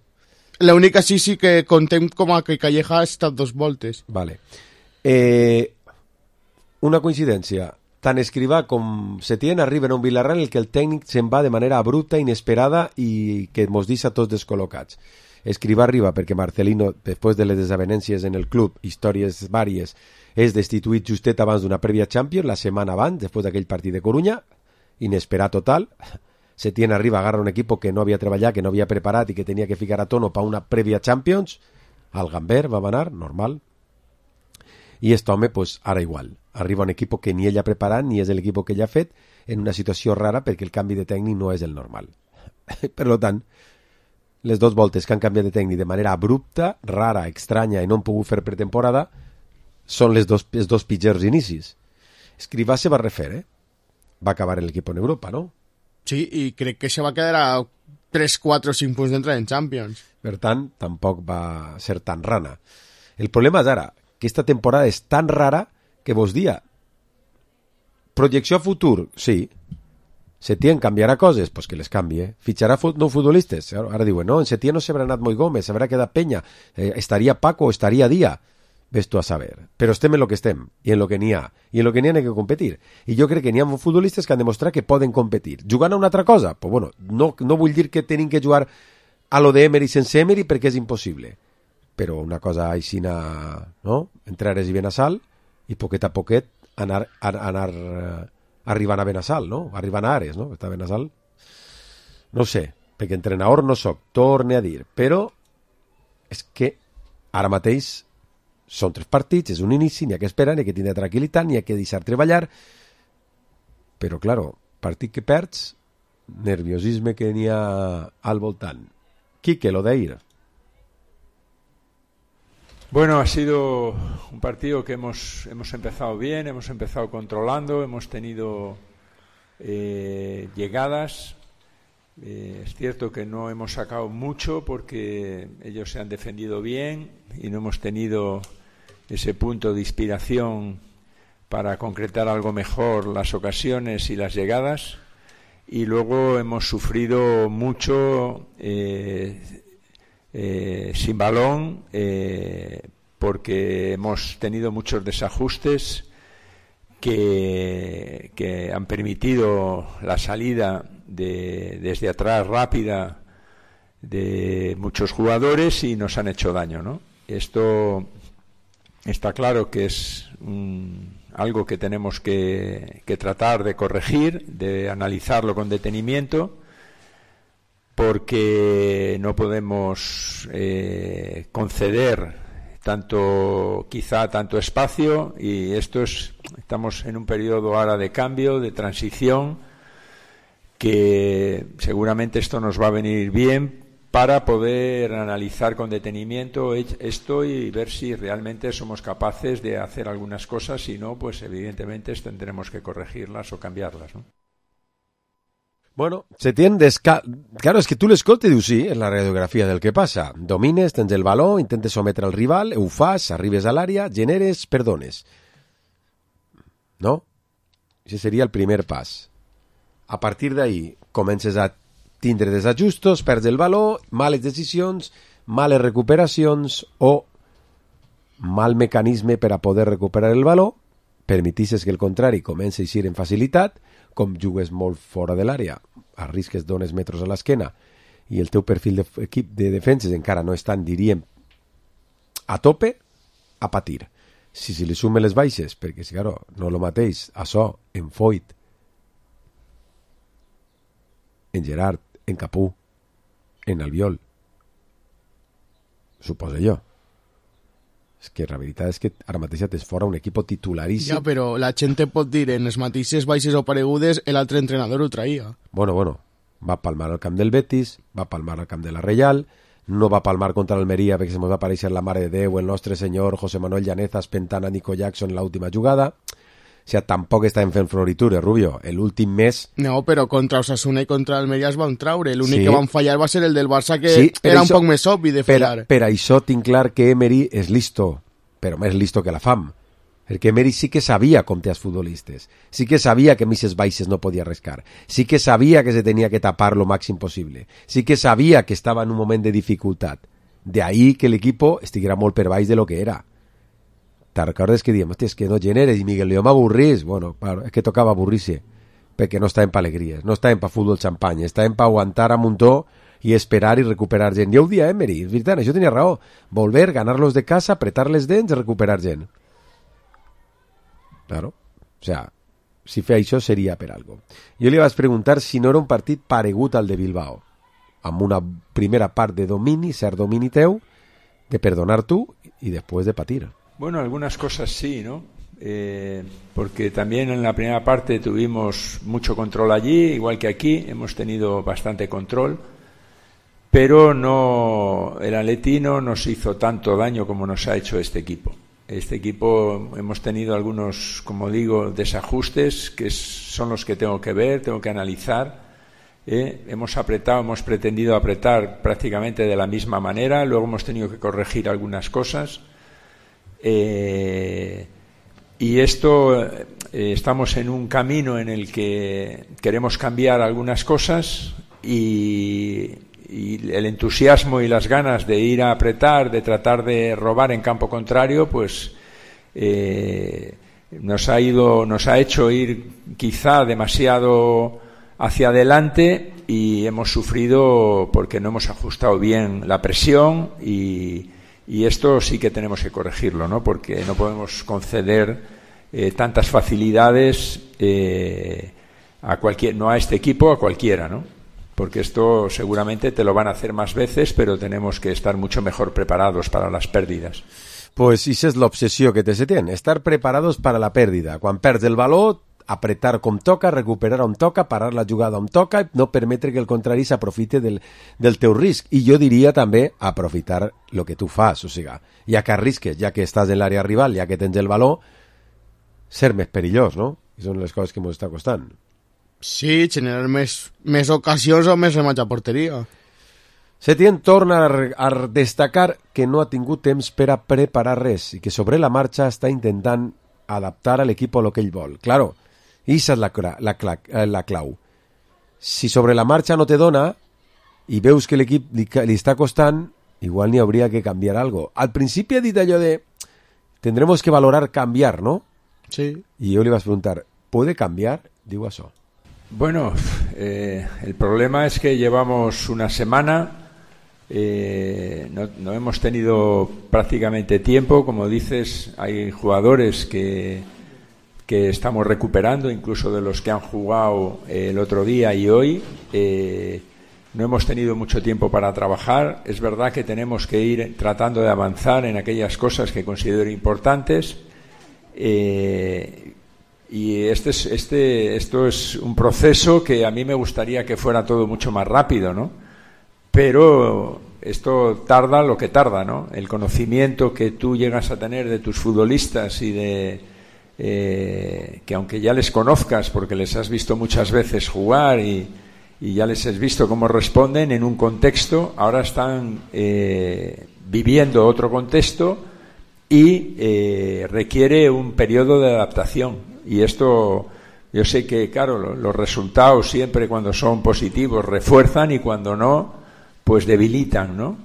L'única sí que contem com a que Calleja ha estat 2 voltes. Vale. Una coincidència. Tant Escrivà com Setién arriben a un Villarreal en el que el tècnic se'n va de manera abrupta, inesperada i que mos deixa tots descol·locats. Escrivà arriba perquè Marcelino, després de les desavenències en el club, històries vàries, és destituït justet abans d'una prèvia Champions, la setmana abans, després d'aquell partit de Corunya, inesperat total. Setién arriba, agarra un equip que no havia treballat, que no havia preparat i que tenia que ficar a tono per una prèvia Champions. Al Gamber va anar, normal. I aquest home, pues, ara igual. Arriba un equip que ni ell ha preparat ni és l'equip que ell ha fet, en una situació rara perquè el canvi de tècnic no és el normal. Per tant, les 2 voltes que han canviat de tècnic de manera abrupta, rara, estranya i no han pogut fer pretemporada són els dos pitjors inicis. Escrivà se va refer, va acabar en l'equip en Europa, no? Sí, i crec que se va quedar a 3, 4 o 5 punts d'entrar en Champions. Per tant, tampoc va ser tan rana. El problema és ara, que esta temporada és tan rara que vos dia projecció a futur, sí. Setién canviarà coses, pues que les canvie. Fitxarà no futbolistes. Ara diuen, no, en Setién no s'haurà anat Moi Gómez, s'haurà quedat Peña, estaria Paco o estaria Díaz. Ves tu a saber. Però estem en lo que estem, i en lo que n'hi ha. I en lo que n'hi ha que competir. I jo crec que n'hi ha futbolistes que han demostrat que poden competir. Jugant a una altra cosa? Pues bueno, no vull dir que tenim que jugar a lo de Emery sense Emery perquè és impossible. Però una cosa aixina, no? Entrar a Benassal i poquet a poquet anar arribant a Benassal, no? Arribant a Ares, no? Està a Benassal. No sé, perquè entrenador no soc, torne a dir. Però és que ara mateix són 3 partits, és un inici, n'hi ha que esperar, n'hi ha que tindre tranquil·litat, n'hi ha que deixar treballar. Però, claro, partit que perds, nerviosisme que n'hi ha al voltant. Quique, lo de ir. Bueno, ha sido un partido que hemos empezado bien, hemos empezado controlando, hemos tenido llegadas. Es cierto que no hemos sacado mucho porque ellos se han defendido bien y no hemos tenido ese punto de inspiración para concretar algo mejor las ocasiones y las llegadas. Y luego hemos sufrido mucho sin balón porque hemos tenido muchos desajustes que han permitido la salida desde atrás rápida de muchos jugadores y nos han hecho daño, ¿no? Esto está claro que es algo que tenemos que tratar de corregir, de analizarlo con detenimiento, porque no podemos conceder tanto espacio, y estamos en un periodo ahora de cambio, de transición, que seguramente esto nos va a venir bien para poder analizar con detenimiento esto y ver si realmente somos capaces de hacer algunas cosas. Si no, pues evidentemente tendremos que corregirlas o cambiarlas, ¿no? Bueno, claro, és que tu l'escoltes i dius sí, és la radiografia del que passa. Domines, tens el baló, intentes sometre al rival, ho fas, arribes a l'àrea, generes, perdones. No? Això seria el primer pas. A partir d'ahí comences a tindre desajustos, perds el baló, males decisions, males recuperacions o mal mecanisme per a poder recuperar el baló, permetisses que el contrari comenci a eixir en facilitat, com jugues molt fora de l'àrea, arrisques dones metres a l'esquena i el teu perfil d'equip de defenses encara no estan, diríem, a tope, a patir. Si li sumen les baixes, perquè si claro, no el mateix, això, en Foyt, en Gerard, en Capú, en Albiol, suposo jo. És que la veritat és que ara mateix tens fora un equip titularíssim. Ja, però la gent te pot dir en les mateixes baixes o paregudes l'altre entrenador ho traïa. Bueno, va palmar al camp del Betis, va palmar al camp de la Reial, no va palmar contra l'Almeria perquè se mos va aparèixer la Mare de Déu, el nostre senyor José Manuel Llaneza espentant a Nico Jackson en l'última jugada. O sigui, tampoc estem fent floritures, Rubio. L'últim mes... No, però contra Osasuna i contra Almeria es van traure. L'únic que van fallar va ser el del Barça, que era un poc més obvi de fallar. Per això tinc clar que Emery és listo, però més listo que la fam. perquè Emery sí que sabia comptar els futbolistes, sí que sabia que misses baixes no podia arriscar, sí que sabia que se tenia que tapar lo màxim possible, sí que sabia que estava en un moment de dificultat. De ahí que l'equipo estiguera molt per baix de lo que era. Te recordes que diem, hòstia, és que no generes, i Miguel León m'avorrís? Bueno, claro, és que tocava avorrir-se, perquè no estàvem pa alegries, no estàvem pa futbol xampany, estàvem pa aguantar a muntó i esperar i recuperar gent. Jo ho dia Emery, és veritat, això tenia raó. Volver, ganar-los de casa, apretar les dents i recuperar gent. Claro, o sea, si feia això seria per algo. Jo li vaig preguntar si no era un partit paregut al de Bilbao, amb una primera part de domini, cert domini teu, de perdonar tu y después de patir. Bueno, algunas cosas sí, ¿no? Porque también en la primera parte tuvimos mucho control allí, igual que aquí, hemos tenido bastante control, pero no, el Atleti no nos hizo tanto daño como nos ha hecho este equipo. Este equipo hemos tenido algunos, como digo, desajustes que son los que tengo que ver, tengo que analizar. Hemos pretendido apretar prácticamente de la misma manera, luego hemos tenido que corregir algunas cosas. Y esto, estamos en un camino en el que queremos cambiar algunas cosas y el entusiasmo y las ganas de ir a apretar, de tratar de robar en campo contrario, pues nos ha hecho ir quizá demasiado hacia adelante y hemos sufrido porque no hemos ajustado bien la presión y esto sí que tenemos que corregirlo, ¿no? Porque no podemos conceder tantas facilidades no a este equipo, a cualquiera, ¿no? Porque esto seguramente te lo van a hacer más veces, pero tenemos que estar mucho mejor preparados para las pérdidas. Pues esa és l'obsessió que se tiene, estar preparados para la pèrdida. Quan perds el valor, apretar com toca, recuperar on toca, parar la jugada on toca, no permetre que el contrari s'aprofite del teu risc. I jo diria també aprofitar el que tu fas, o sigui, ja que arrisques, ja que estàs en l'àrea rival, ja que tens el valor, ser més perillós, no? I són les coses que ens està costant. Sí, generar més ocasions o més remats a porteria. Setién torna a destacar que no ha tingut temps per a preparar res i que sobre la marxa està intentant adaptar a l'equip a lo que ell vol. Claro, esa és la clau. Si sobre la marxa no te dona i veus que l'equip li està costant, igual n'hi hauria que canviar algo. Al principi ha dit allò de tendremos que valorar cambiar, ¿no? Sí. I jo li vaig preguntar, ¿puede cambiar? Digo això. Bueno, el problema es que llevamos una semana, no hemos tenido prácticamente tiempo, como dices, hay jugadores que estamos recuperando, incluso de los que han jugado el otro día y hoy, no hemos tenido mucho tiempo para trabajar. Es verdad que tenemos que ir tratando de avanzar en aquellas cosas que considero importantes. Y esto es un proceso que a mí me gustaría que fuera todo mucho más rápido, ¿no? Pero esto tarda lo que tarda, ¿no? El conocimiento que tú llegas a tener de tus futbolistas y que aunque ya les conozcas porque les has visto muchas veces jugar y ya les has visto cómo responden en un contexto, ahora están viviendo otro contexto y requiere un periodo de adaptación. Y esto, yo sé que, claro, los resultados siempre cuando son positivos refuerzan y cuando no, pues debilitan, ¿no?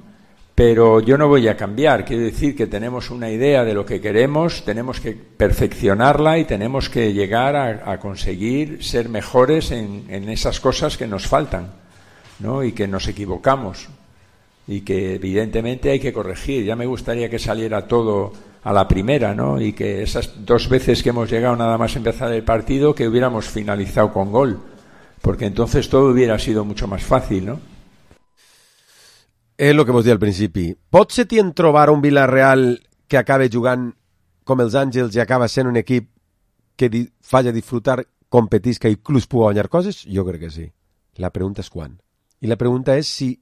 Pero yo no voy a cambiar, quiero decir que tenemos una idea de lo que queremos, tenemos que perfeccionarla y tenemos que llegar a conseguir ser mejores en esas cosas que nos faltan, ¿no? Y que nos equivocamos y que evidentemente hay que corregir. Ya me gustaría que saliera todo a la primera, ¿no? Y que esas 2 veces que hemos llegado nada más empezar el partido, que hubiéramos finalizado con gol, porque entonces todo hubiera sido mucho más fácil, ¿no? És el que vos deia al principi. Pot ser tient trobar un Villarreal que acabe jugant com els Àngels i acaba sent un equip que falla disfrutar, competisca i inclús pugui guanyar coses? Jo crec que sí. La pregunta és quan. I la pregunta és si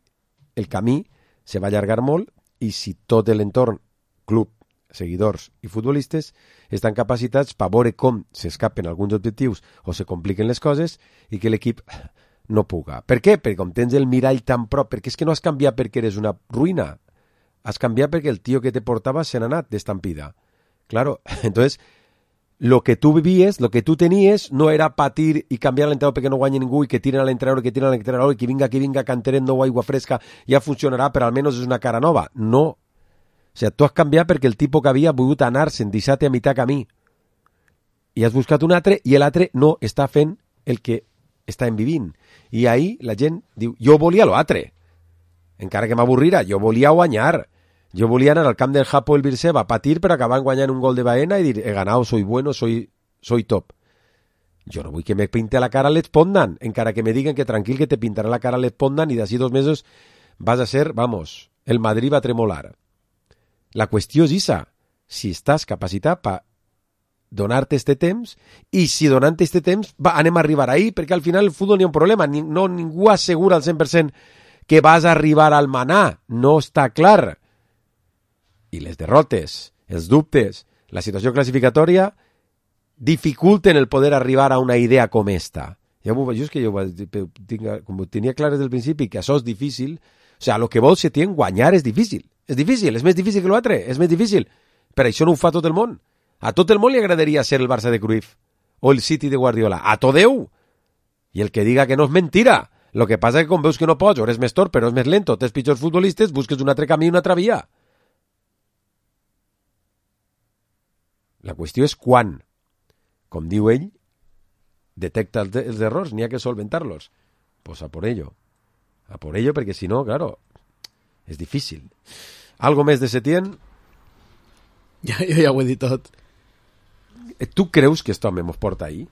el camí se va allargar molt i si tot l'entorn, club, seguidors i futbolistes estan capacitats per veure com s'escapen alguns objectius o se compliquen les coses i que l'equip no puga. Per què? Perquè com tens el mirall tan prop, perquè és que no has canviat perquè eres una ruïna, has canviat perquè el tio que te portava se n'ha anat d'estampida. Claro, entonces lo que tu vivies, lo que tu tenies, no era patir i canviar l'entrenador perquè no guanyi ningú i que tiren a l'entrenador i que vinga canteren nou aigua fresca, ja funcionarà, però almenys és una cara nova. No. O sigui, tu has canviat perquè el tipus que havia volgut anar-se'n, deixar-te a mitjà camí. I has buscat un altre i l'altre no està fent el que estàvem vivint. I ahir la gent diu, jo volia l'altre. Encara que m'avorrira, jo volia guanyar. Jo volia anar al camp del Hapoel Beersheva a patir per acabar guanyant un gol de Baena i dir, he ganado, soy bueno, soy top. Jo no vull que me pinte la cara a l'Espondan, encara que me digan que tranquil que te pintarà la cara a l'Espondan i d'ací 2 mesos vas a ser, vamos, el Madrid va a tremolar. La qüestió és esa, si estàs capacitat per donar-te este temps i si donant-te este temps anem a arribar ahí, perquè al final el futbol n'hi ha un problema, ningú assegura al 100% que vas a arribar al manar, no està clar. I les derrotes, els dubtes, la situació classificatòria dificulten el poder arribar a una idea com esta. Jo és que com ho tenia clar des del principi, que això és difícil, o sigui, el que vol Setién guanyar és difícil, és més difícil que l'altre, és més difícil. Per això no ho fa tot el món. A tot el món li agradaria ser el Barça de Cruyff o el City de Guardiola. A tot Déu! I el que diga que no és mentira. Lo que passa és que com veus que no pots, o eres més tort, però és més lento, tens pitjors futbolistes, busques un altre camí i una altra via. La qüestió és quan, com diu ell, detecta els errors, n'hi ha que solventar-los. Pues a por ello, perquè si no, claro, és difícil. Algo més de Setién? Jo ja ho he dit tot. Tu creus que esto mos porta ahí?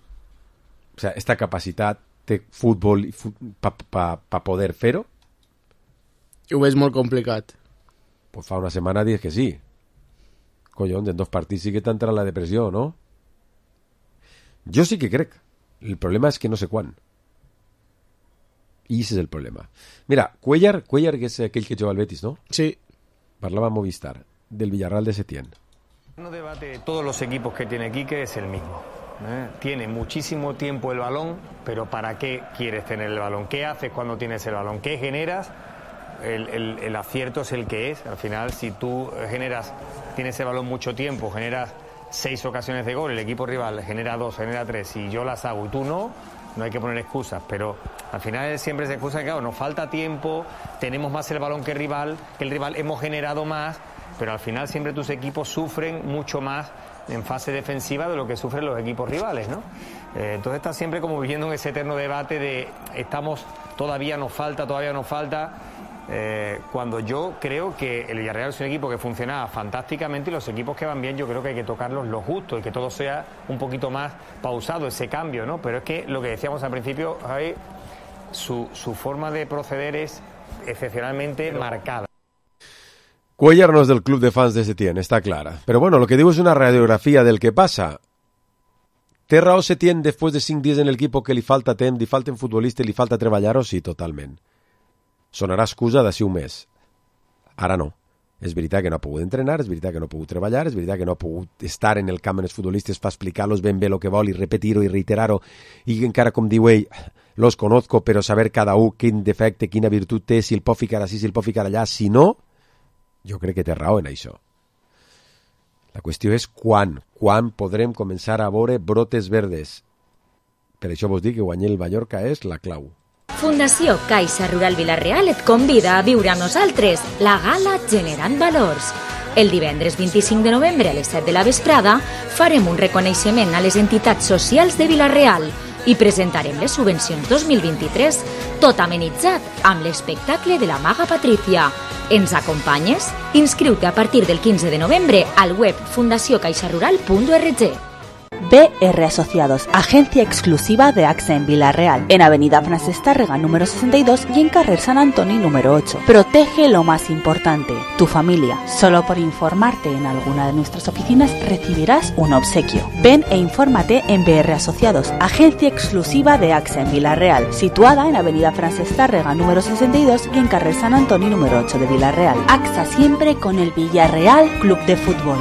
O sea, esta capacitat té futbol pa poder fer-ho? Ho veig molt complicat. Pues fa una setmana dius que sí. Collons, en 2 partits sí que t'entra la depressió, no? Jo sí que crec. El problema és que no sé quan. I ese és el problema. Mira, Cuellar, que és aquell que juga al Betis, ¿no? Sí. Parlava a Movistar, del Villarreal de Setién. El debate de todos los equipos que tiene Quique es el mismo. Tiene muchísimo tiempo el balón, pero ¿para qué quieres tener el balón? ¿Qué haces cuando tienes el balón? ¿Qué generas? El acierto es el que es. Al final, si tú tienes el balón mucho tiempo, generas 6 ocasiones de gol, el equipo rival genera 2, genera 3, y yo las hago y tú no hay que poner excusas, pero al final siempre se excusa que claro, nos falta tiempo, tenemos más el balón que el rival hemos generado más, pero al final siempre tus equipos sufren mucho más en fase defensiva de lo que sufren los equipos rivales, ¿no? Entonces estás siempre como viviendo en ese eterno debate de todavía nos falta, cuando yo creo que el Villarreal es un equipo que funciona fantásticamente y los equipos que van bien yo creo que hay que tocarlos lo justo y que todo sea un poquito más pausado, ese cambio, ¿no? Pero es que lo que decíamos al principio, Javi, su forma de proceder es excepcionalmente marcada. Cuellar no és del club de fans de Setién, està clara. Però bueno, lo que diu és una radiografia del que passa. Té raó Setién després de 5 dies en l'equip que li falta temps, li falten futbolistes, li falta treballar-ho? Sí, totalment. Sonarà excusa d'ací un mes. Ara no. És veritat que no ha pogut entrenar, és veritat que no ha pogut treballar, és veritat que no ha pogut estar en el camp amb els futbolistes per explicar-los ben bé el que vol i repetir-ho i reiterar-ho. I encara, com diu ell, los conozco, però saber cada un quin defecte, quina virtut té, si el pot ficar així, si el pot ficar allà. Si no, jo crec que té raó en això. La qüestió és quan podrem començar a veure brotes verdes. Per això vos dic que guanyar el Mallorca és la clau. Fundació Caixa Rural Vila-real et convida a viure amb nosaltres la gala Generant Valors. El divendres 25 de novembre a les 7 de la vesprada farem un reconeixement a les entitats socials de Vila-real i presentarem les subvencions 2023, tot amenitzat amb l'espectacle de la Maga Patricia. Ens acompanyes? Inscriu-te a partir del 15 de novembre al web fundaciocaixarural.org. BR Asociados, agencia exclusiva de AXA en Vila-real, en Avenida Francesc Tàrrega número 62 y en Carrer Sant Antoni número 8. Protege lo más importante, tu familia. Solo por informarte en alguna de nuestras oficinas recibirás un obsequio. Ven e infórmate en BR Asociados, agencia exclusiva de AXA en Vila-real, situada en Avenida Francesc Tàrrega número 62 y en Carrer Sant Antoni número 8 de Vila-real. AXA siempre con el Villarreal Club de Fútbol.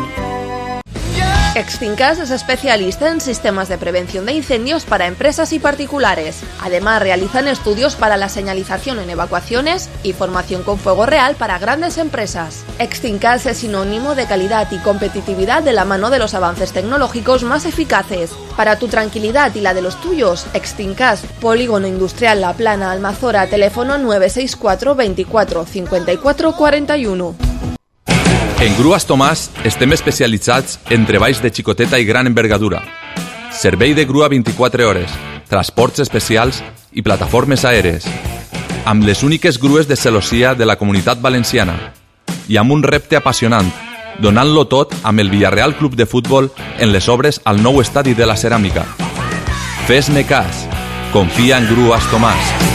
Extincas es especialista en sistemas de prevención de incendios para empresas y particulares. Además, realizan estudios para la señalización en evacuaciones y formación con fuego real para grandes empresas. Extincas es sinónimo de calidad y competitividad de la mano de los avances tecnológicos más eficaces. Para tu tranquilidad y la de los tuyos, Extincas, Polígono Industrial La Plana, Almazora, teléfono 964 24 54 41. En Grues Tomàs estem especialitzats en treballs de xicoteta i gran envergadura. Servei de grua 24 hores, transports especials i plataformes aèries. Amb les úniques grues de celossia de la Comunitat Valenciana. I amb un repte apassionant, donant-lo tot amb el Villarreal Club de Futbol en les obres al nou estadi de la Ceràmica. Fes-me cas. Confia en Grues Tomàs.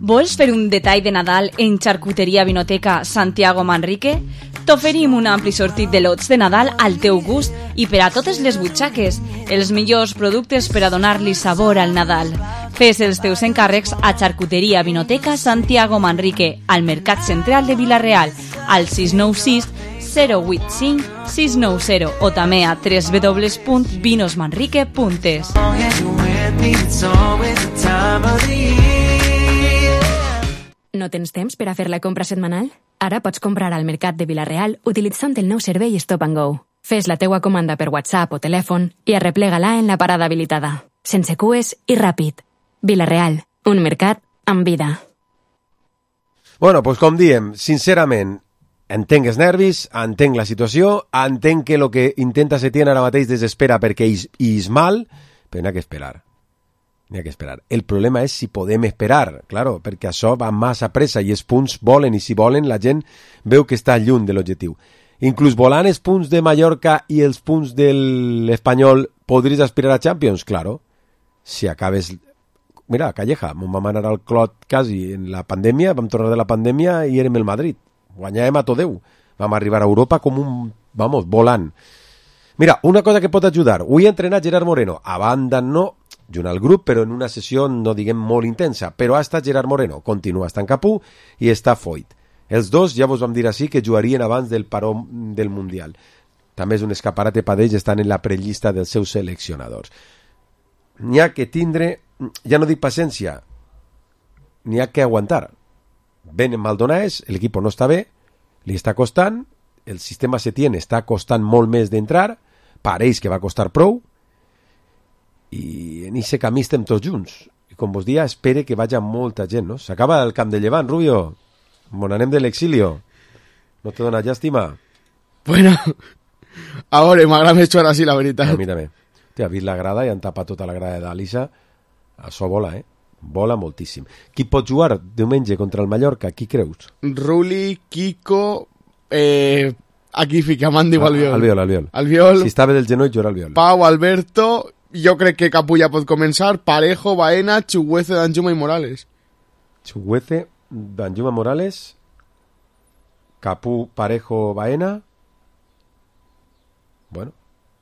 Vols fer un detall de Nadal en Xarcuteria Vinoteca Santiago Manrique? T'oferim un ampli sortit de lots de Nadal al teu gust i per a totes les butxaques, els millors productes per a donar-li sabor al Nadal. Fes els teus encàrrecs a Xarcuteria Vinoteca Santiago Manrique, al Mercat Central de Vila-real, al 696 085 690 o també a www.vinosmanrique.es. No tens temps per a fer la compra setmanal? Ara pots comprar al Mercat de Vila-real utilitzant el nou servei Stop and Go. Fes la teua comanda per WhatsApp o telèfon i arreplega-la en la parada habilitada. Sense cues i ràpid. Vila-real, un mercat amb vida. Bueno, doncs com diem, sincerament, entenc els nervis, entenc la situació, entenc que el que intenta Setién ara mateix desespera perquè és mal, però n'hi ha que esperar. N'hi ha que esperar. El problema és si podem esperar, claro, perquè això va massa pressa i els punts volen, i si volen la gent veu que està lluny de l'objectiu. Inclús volant els punts de Mallorca i els punts de l'Espanyol podries aspirar a Champions? Claro. Si acabes... Mira, Calleja, vam anar al clot quasi en la pandèmia, vam tornar de la pandèmia i érem el Madrid. Guanyàvem a tot Déu. Vam arribar a Europa com un... Vamos, volant. Mira, una cosa que pot ajudar. Avui ha entrenat Gerard Moreno. A banda no, junt al grup, però en una sessió, no diguem molt intensa. Però ha estat Gerard Moreno. Continua estant Capú i està Foyt. Els dos, ja vos vam dir així, que jugarien abans del paró del Mundial. També és un escaparate per ells, estan en la prellista dels seus seleccionadors. N'hi ha que tindre, ja no dic paciència, n'hi ha que aguantar. Venen Maldonades, l'equip no està bé, li està costant, el sistema Setién està costant molt més d'entrar, pareix que va costar prou, i en aquest camí estem tots junts. I com vos dia, espere que vagi molta gent, no? S'acaba el camp de Llevant, Rubio. Bon anem de l'exilio. No te dona llàstima? Bueno, ara m'agrada més jugar així, la veritat. A mi també. Ha vist la grada i han tapat tota la grada d'Alisa. Això vola, Vola moltíssim. Qui pot jugar diumenge contra el Mallorca? Qui creus? Ruli, Kiko... aquí fiquem Andy o Albiol. Albiol. Si estava del genoll, jugarà Albiol. Pau, Alberto... Jo crec que Capú ja pot començar. Parejo, Baena, Chuguece, Danjuma i Morales. Chuguece, Danjuma, Morales... Capú, Parejo, Baena... Bueno,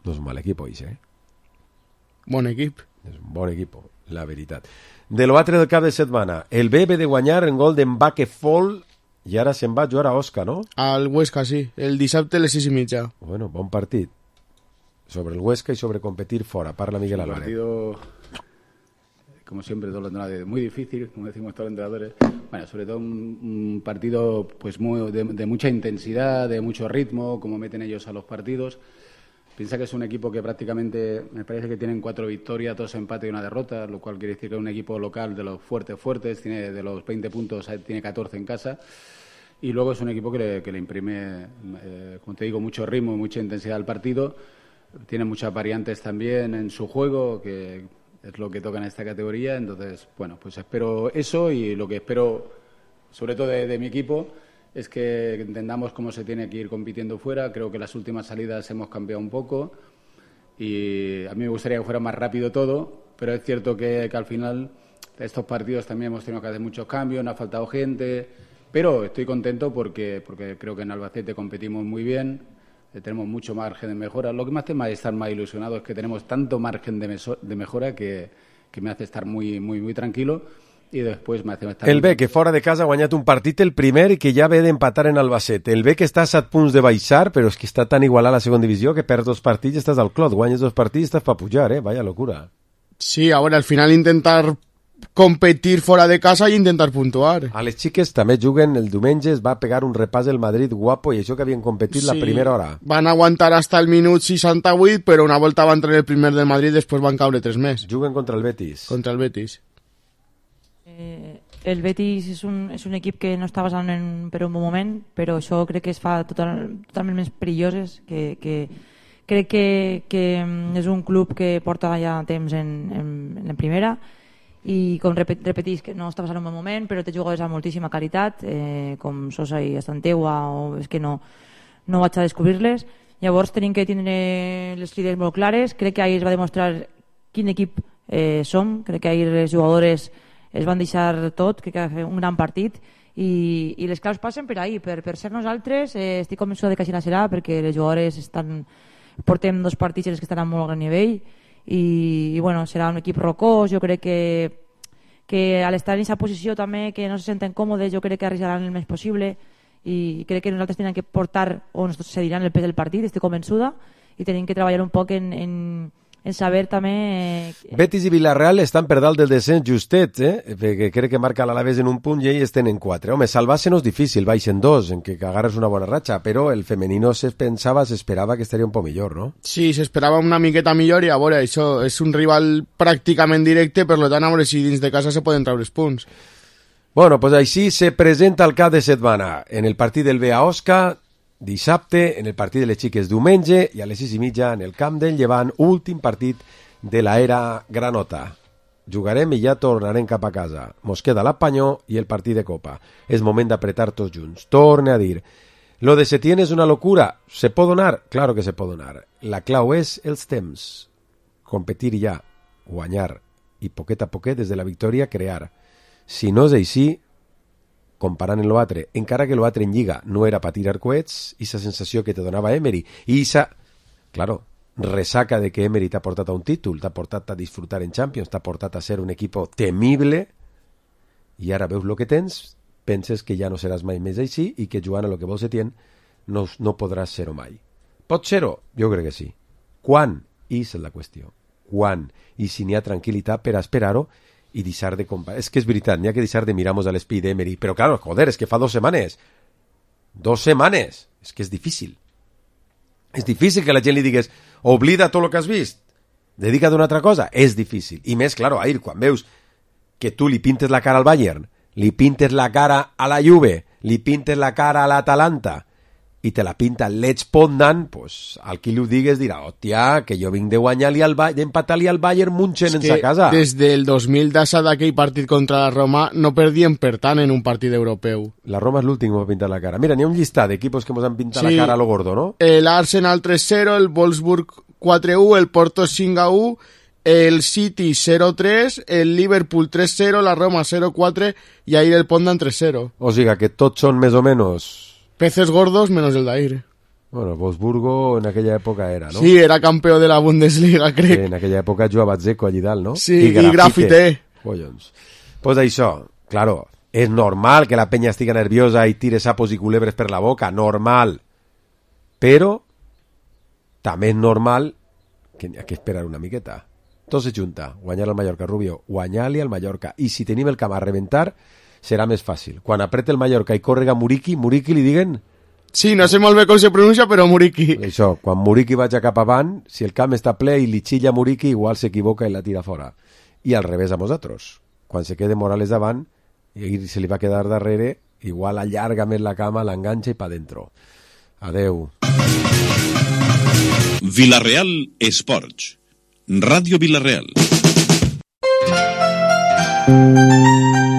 no és un mal equip, oi, Bon equip. És un bon equip, la veritat. De l'altre del cap de setmana, el BB de guanyar en gol d'Mbaque Fall i ara se'n va a jugar a Osca, no? Al Huesca, sí. El dissabte a les 6:30. Bueno, bon partit. Sobre el Huesca y sobre competir fuera. Parla Miguel Álvarez. Un partido, como siempre, todo lo muy difícil, como decimos todos los entrenadores. Bueno, sobre todo un partido pues de mucha intensidad, de mucho ritmo, como meten ellos a los partidos. Piensa que es un equipo que prácticamente, me parece que tienen 4 victorias, 2 empates y 1 derrota, lo cual quiere decir que es un equipo local de los fuertes, tiene de los 20 puntos, tiene 14 en casa. Y luego es un equipo que le imprime, como te digo, mucho ritmo y mucha intensidad al partido. Tiene muchas variantes también en su juego, que es lo que toca en esta categoría. Entonces, bueno, pues espero eso, y lo que espero, sobre todo de mi equipo, es que entendamos cómo se tiene que ir compitiendo fuera. Creo que las últimas salidas hemos cambiado un poco y a mí me gustaría que fuera más rápido todo, pero es cierto que al final de estos partidos también hemos tenido que hacer muchos cambios, nos ha faltado gente, pero estoy contento porque creo que en Albacete competimos muy bien, tenemos mucho margen de mejora. Lo que me hace más estar más ilusionado es que tenemos tanto margen de mejora que me hace estar muy, muy, muy tranquilo. i després el B, que fora de casa ha guanyat un partit el primer i que ja ve d'empatar en Albacete. El B, que està a 7 punts de baixar, però és que està tan igualat a la segona divisió que perds 2 partits i estàs al clot. Guanyes 2 partits i estàs per pujar, vaya locura. Sí, ahora al final intentar competir fora de casa i intentar puntuar. A les xiques també juguen el diumenge, es va pegar un repàs el Madrid guapo i això que havien competit la primera hora. Van aguantar hasta el minut 68, però una volta van treure el primer del Madrid, després van caure 3 més. Juguen contra el Betis. Contra el Betis. El Betis és un equip que no està passant per un bon moment, però això crec que es fa totalment més perilloses, que crec que és un club que porta ja temps en primera i com repetís que no està passant un bon moment, però té jugadors amb moltíssima qualitat, com Sosa i Estanteua, o és que no vaig a descobrir-les. Llavors tenim que tindre les idees molt clares. Crec que ahir es va demostrar quin equip som, crec que ahir les jugadores es van deixar tot, crec que va fer un gran partit i les claus passen per ahir, per ser nosaltres. Estic convençuda de que així serà, perquè les jugadores portem 2 partits que estan a molt gran nivell i bueno, serà un equip rocós. Jo crec que a l'estar en aquesta posició també, que no se senten còmodes, jo crec que arriesgaran el més possible i crec que nosaltres tenim que portar o ens cediran el pes del partit, estic convençuda, i tenim que treballar un poc en saber també... Betis i Villarreal estan per dalt del descens justet, perquè crec que marca l'Alavés en un punt i ells tenen 4. Home, salvar-se no és difícil, baixen 2, en què agarres una bona ratxa, però el femenino s'esperava que estaria un poc millor, no? Sí, s'esperava una miqueta millor i a veure, això és un rival pràcticament directe, per tant a veure si dins de casa se poden treure els punts. Bueno, pues així se presenta el cap de setmana. En el partit del B a Osca, dissabte, en el partit de les xiques diumenge i a les 6:30 en el camp del Llevant, últim partit de l'era granota. Jugarem i ja tornarem cap a casa. Mos queda l'Apanyó i el partit de Copa. És moment d'apretar tots junts. Torne a dir, lo de Setién és una locura. ¿Se pot donar? Claro que se pot donar. La clau és els temps. Competir ja, guanyar i poquet a poquet des de la victòria crear. Si no és així, comparant amb l'altre, encara que l'altre en Lliga no era per tirar coets, i la sensació que te donava Emery, i claro, resaca de que Emery t'ha portat a un títol, t'ha portat a disfrutar en Champions, t'ha portat a ser un equip temible, i ara veus el que tens, penses que ja no seràs mai més així i que jugant a lo que vols Setién no podràs ser-ho mai. Pot ser-ho? Jo crec que sí. Quan? I és la qüestió. Quan? I si n'hi ha tranquil·litat per esperar-ho i deixar de comparar. És que és veritat, n'hi ha que deixar de mirar-nos a l'espí d'Emery, però claro, joder, és que fa 2 setmanes. 2 setmanes! És que és difícil. És difícil que la gent li digués oblida tot el que has vist, dedica't a una altra cosa. És difícil. I més, claro, ahir, quan veus que tu li pintes la cara al Bayern, li pintes la cara a la Juve, li pintes la cara a l'Atalanta i te la pinta l'Edge Pondan, pues, al qui li ho digues dirà, hòstia, que jo vinc de guanyar-li d'empatar-li al Bayern Munchen en sa casa. Des del 2000 d'assa d'aquell partit contra la Roma no perdien per tant en un partit europeu. La Roma és l'últim que va pintar la cara. Mira, n'hi ha un llistat d'equipos que ens han pintat la cara a lo gordo, no? L'Arsenal 3-0, el Wolfsburg 4-1, el Porto 5-1, el City 0-3, el Liverpool 3-0, la Roma 0-4 i ahir el Pondan 3-0. O sigui que tots són més o menys... peces gordos menos el d'ahir. Bueno, el Wolfsburgo en aquella època era, ¿no? Sí, era campeón de la Bundesliga, crec. Sí, en aquella època jugava Dzeko allí dalt, no? Sí, i Grafite. Collons. Pues això, claro, és normal que la penya estiga nerviosa i tire sapos i culebres per la boca, normal. Però també és normal que n'hi ha que esperar una miqueta. Tot se junta, guanyar al Mallorca, Rubio, guanyar-li al Mallorca. I si tenim el camp a reventar, serà més fàcil. Quan apreta el Mallorca i córrega Muriqui li diguen... Sí, no sé molt bé com se pronuncia, però Muriqui. Això, quan Muriqui vaja cap avant, si el camp està ple i li xilla Muriqui, igual s'equivoca i la tira fora. I al revés a nosaltres. Quan se quede Morales davant i se li va quedar darrere, igual allarga més la cama, l'enganxa i pa dentro. Adeu. Villarreal Esports. Ràdio Villarreal.